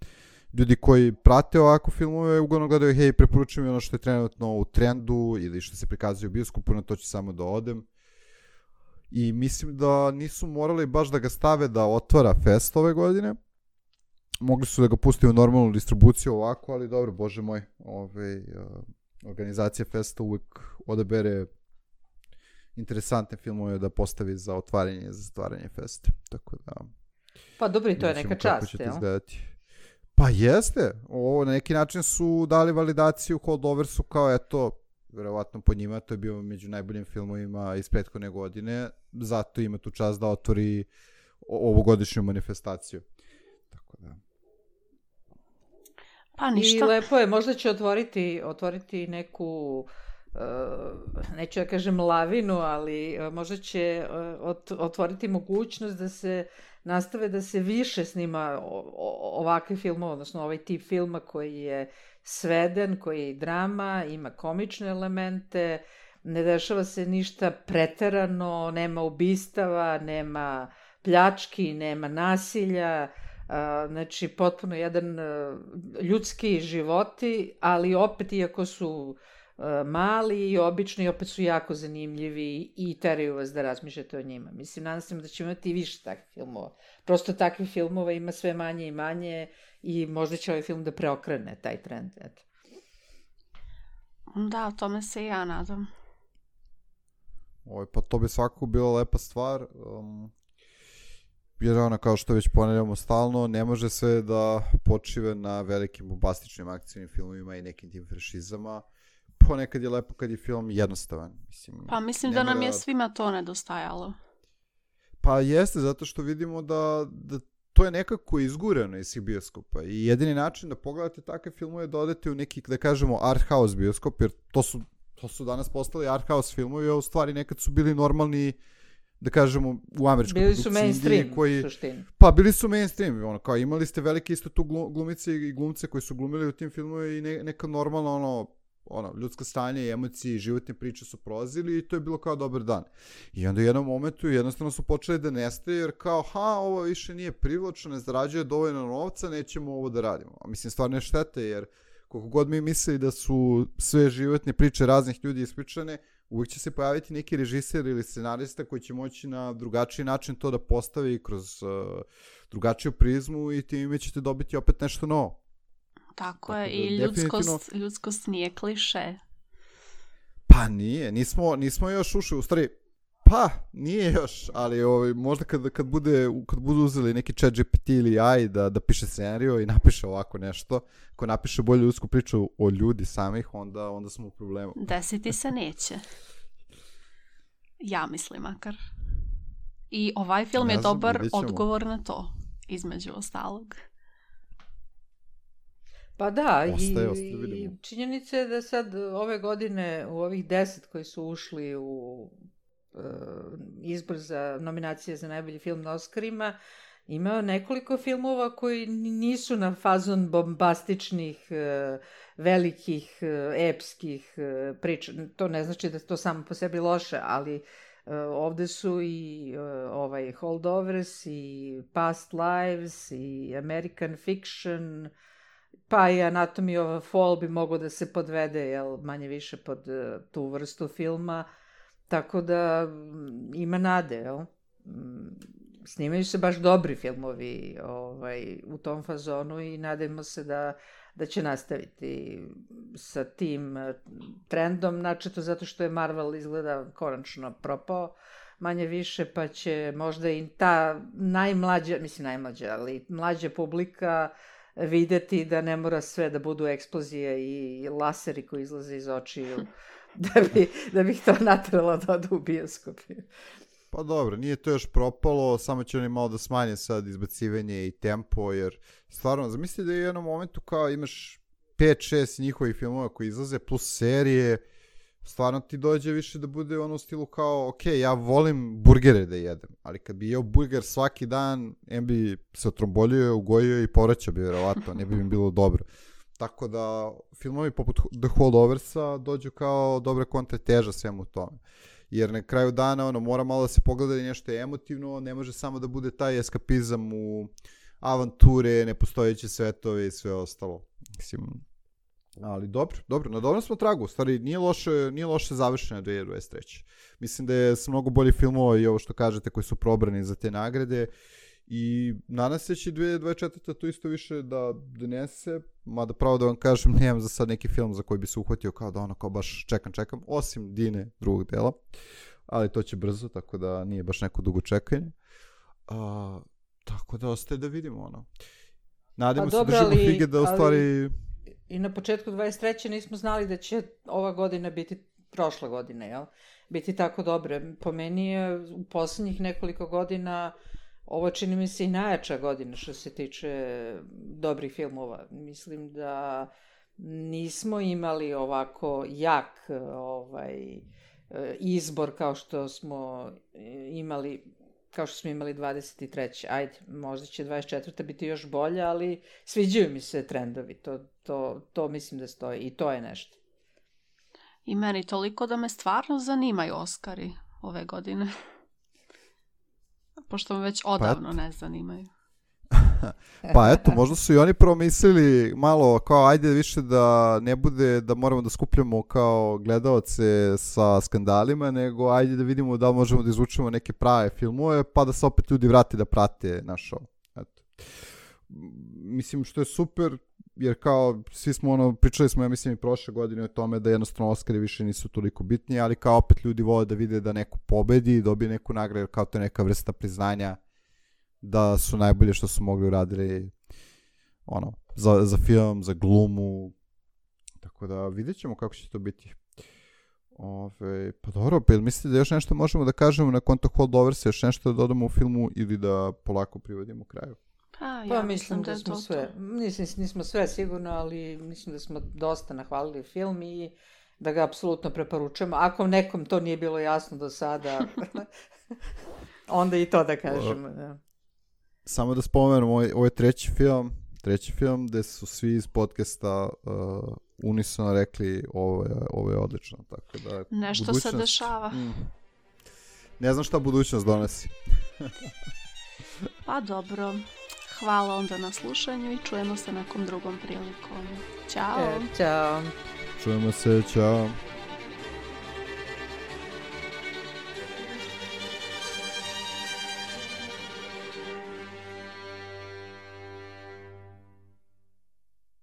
ljudi koji prate ovako filmove uglavnom gledaju, hej, preporučujem mi ono što je trenutno u trendu ili što se prikazuje u bioskopu, na to ću samo da odem. I mislim da nisu morali baš da ga stave da otvara fest ove godine. Mogli su da ga pusti u normalnu distribuciju ovako, ali dobro, bože moj, organizacija festa uvek odabere interesantne filmove da postavi za otvaranje i za zatvaranje festa. Tako da... Pa dobro, i to je neka čast, jel? Pa jeste. Ovo na neki način su dali validaciju Holdoversu kao eto, verovatno po njima, to je bio među najboljim filmovima iz prethodne godine, zato ima tu čast da otvori ovogodišnju manifestaciju. Tako da... Pa ništa. I lepo je, možda će otvoriti neku, neću da kažem lavinu, ali možda će otvoriti mogućnost da se nastave da se više snima ovakve filmove, odnosno ovaj tip filma koji je sveden, koji je drama, ima komične elemente, ne dešava se ništa preterano, nema ubistava, nema pljački, nema nasilja, znači potpuno jedan ljudski životi, ali opet iako su mali i obični, opet su jako zanimljivi i teraju vas da razmišljate o njima. Mislim, nadam se da ćemo imati više takvih filmova. Prosto takvih filmova ima sve manje i manje i možda će ovaj film da preokrene taj trend. Eto. Da, o tome se i ja nadam. Pa to bi svakako bila lepa stvar. Jer ono, kao što već ponavljamo stalno, ne može sve da počive na velikim bombastičnim akcijnim filmovima i nekim tim franšizama. Ponekad je lepo kad je film jednostavan. Mislim da nam je svima to nedostajalo. Pa jeste, zato što vidimo da to je nekako izgureno iz svih bioskopa. I jedini način da pogledate takve filmove je da odete u neki, da kažemo, art house bioskop, jer to su danas postali art house filmovi, a u stvari nekad su bili normalni, da kažemo, u američkoj produkciji. Bili su mainstream, u suštini. Pa, bili su mainstream, ono, kao imali ste velike isto tu glumice i glumce koji su glumili u tim filmovima i neka normalno, ljudska stanja i emocije i životne priče su prolazili i to je bilo kao dobar dan. I onda u jednom momentu jednostavno su počeli da nestaje jer kao, ovo više nije privlačno, ne zarađuje dovoljno novca, nećemo ovo da radimo. A mislim, stvarno je štete jer koliko god mi mislili da su sve životne priče raznih ljudi ispričane, uvijek će se pojaviti neki režiser ili scenarista koji će moći na drugačiji način to da postavi kroz drugačiju prizmu i time ćete dobiti opet nešto novo. Tako je, i ljudskost nije kliše. Pa nije, nismo još ušli, u stvari, pa nije još, ali možda kad budu uzeli neki ChatGPT ili AI da piše scenariju i napiše ovako nešto, ako napiše bolju ljudsku priču o ljudi samih, onda smo u problemu. Desiti se neće. Ja mislim makar. I ovaj film je dobar odgovor na to, između ostalog. Pa da, i činjenica je da sad ove godine u ovih 10 koji su ušli u izbor za nominacije za najbolji film na Oscarima, ima nekoliko filmova koji nisu na fazon bombastičnih, velikih, epskih priča. To ne znači da je to samo po sebi loše, ali ovde su i Holdovers i Past Lives i American Fiction, pa i Anatomy of a Fall bi moglo da se podvede, manje više pod tu vrstu filma, tako da ima nade, jel? Snimaju se baš dobri filmovi u tom fazonu i nadajmo se da će nastaviti sa tim trendom, načeto zato što je Marvel izgleda konačno propao, manje više, pa će možda i ta najmlađa, ali mlađa publika videti da ne mora sve da budu eksplozije i laseri koji izlaze iz očiju, da bi ih to natralo da odu u bioskopi. Pa dobro, nije to još propalo, samo će oni malo da smanje sad izbacivanje i tempo, jer stvarno, zamisli da je u jednom momentu kao imaš 5-6 njihovih filmova koji izlaze, plus serije, stvarno ti dođe više da bude ono u stilu kao, ok, ja volim burgere da jedem, ali kad bi jeo burger svaki dan, bi se otrombolio, ugojio i povraćao bi vjerovatno, ne bi mi bilo dobro. Tako da filmovi poput The Holdoversa dođu kao dobra kontrateža svemu tome. Jer na kraju dana ono, mora malo da se pogleda i nešto emotivno, ne može samo da bude taj eskapizam u avanture, nepostojeće svetove i sve ostalo. Mislim, ali dobro, na dobrom smo tragu, u stvari nije loše završeno 2023. Mislim da je s mnogo bolji filmova i ovo što kažete koji su probrani za te nagrade i nadam se će 2024. to isto više da donese, mada pravo da vam kažem, nemam za sad neki film za koji bi se uhvatio kao da ono kao baš čekam, osim Dine drugog dela, ali to će brzo, tako da nije baš neko dugo čekanje. Tako da ostaje da vidimo ono. Nadamo se držimo fige da u stvari... I na početku 23. nismo znali da će ova godina biti prošla godina, jel? Biti tako dobre. Po meni je u poslednjih nekoliko godina ovo čini mi se i najjača godina što se tiče dobrih filmova. Mislim da nismo imali ovako jak izbor kao što smo imali 23. Ajde, možda će 24. biti još bolje, ali sviđaju mi se trendovi. To mislim da stoji i to je nešto. I meni toliko da me stvarno zanimaju Oskari ove godine. Pošto me već odavno ne zanimaju. Pa eto, možda su i oni promislili malo kao ajde više da ne bude da moramo da skupljamo kao gledaoce sa skandalima, nego ajde da vidimo da možemo da izvučemo neke prave filmove, pa da se opet ljudi vrate da prate naš show. Eto. Mislim što je super, jer kao svi smo pričali smo ja mislim i prošle godine o tome da jednostavno Oskari više nisu toliko bitni, ali kao opet ljudi vole da vide da neko pobedi i dobije neku nagradu, kao to je neka vrsta priznanja da su najbolje što su mogli uradili za film, za glumu, tako da vidjet ćemo kako će to biti. Pa dobro, pa jel mislite da još nešto možemo da kažemo na konto Holdoversa, još nešto da dodamo u filmu ili da polako privodimo kraju? Pa mislim da smo sve, nismo sve sigurno, ali mislim da smo dosta nahvalili film i da ga apsolutno preporučujemo. Ako nekom to nije bilo jasno do sada, onda i to da kažemo, da. Samo da spomenem, ovo je treći film gde su svi iz podcasta unisono rekli ovo je odlično. Tako da, nešto se dešava. Ne znam šta budućnost donosi. Pa dobro, hvala onda na slušanju i čujemo se nekom drugom prilikom. Ćao! Ćao! Čujemo se, ćao!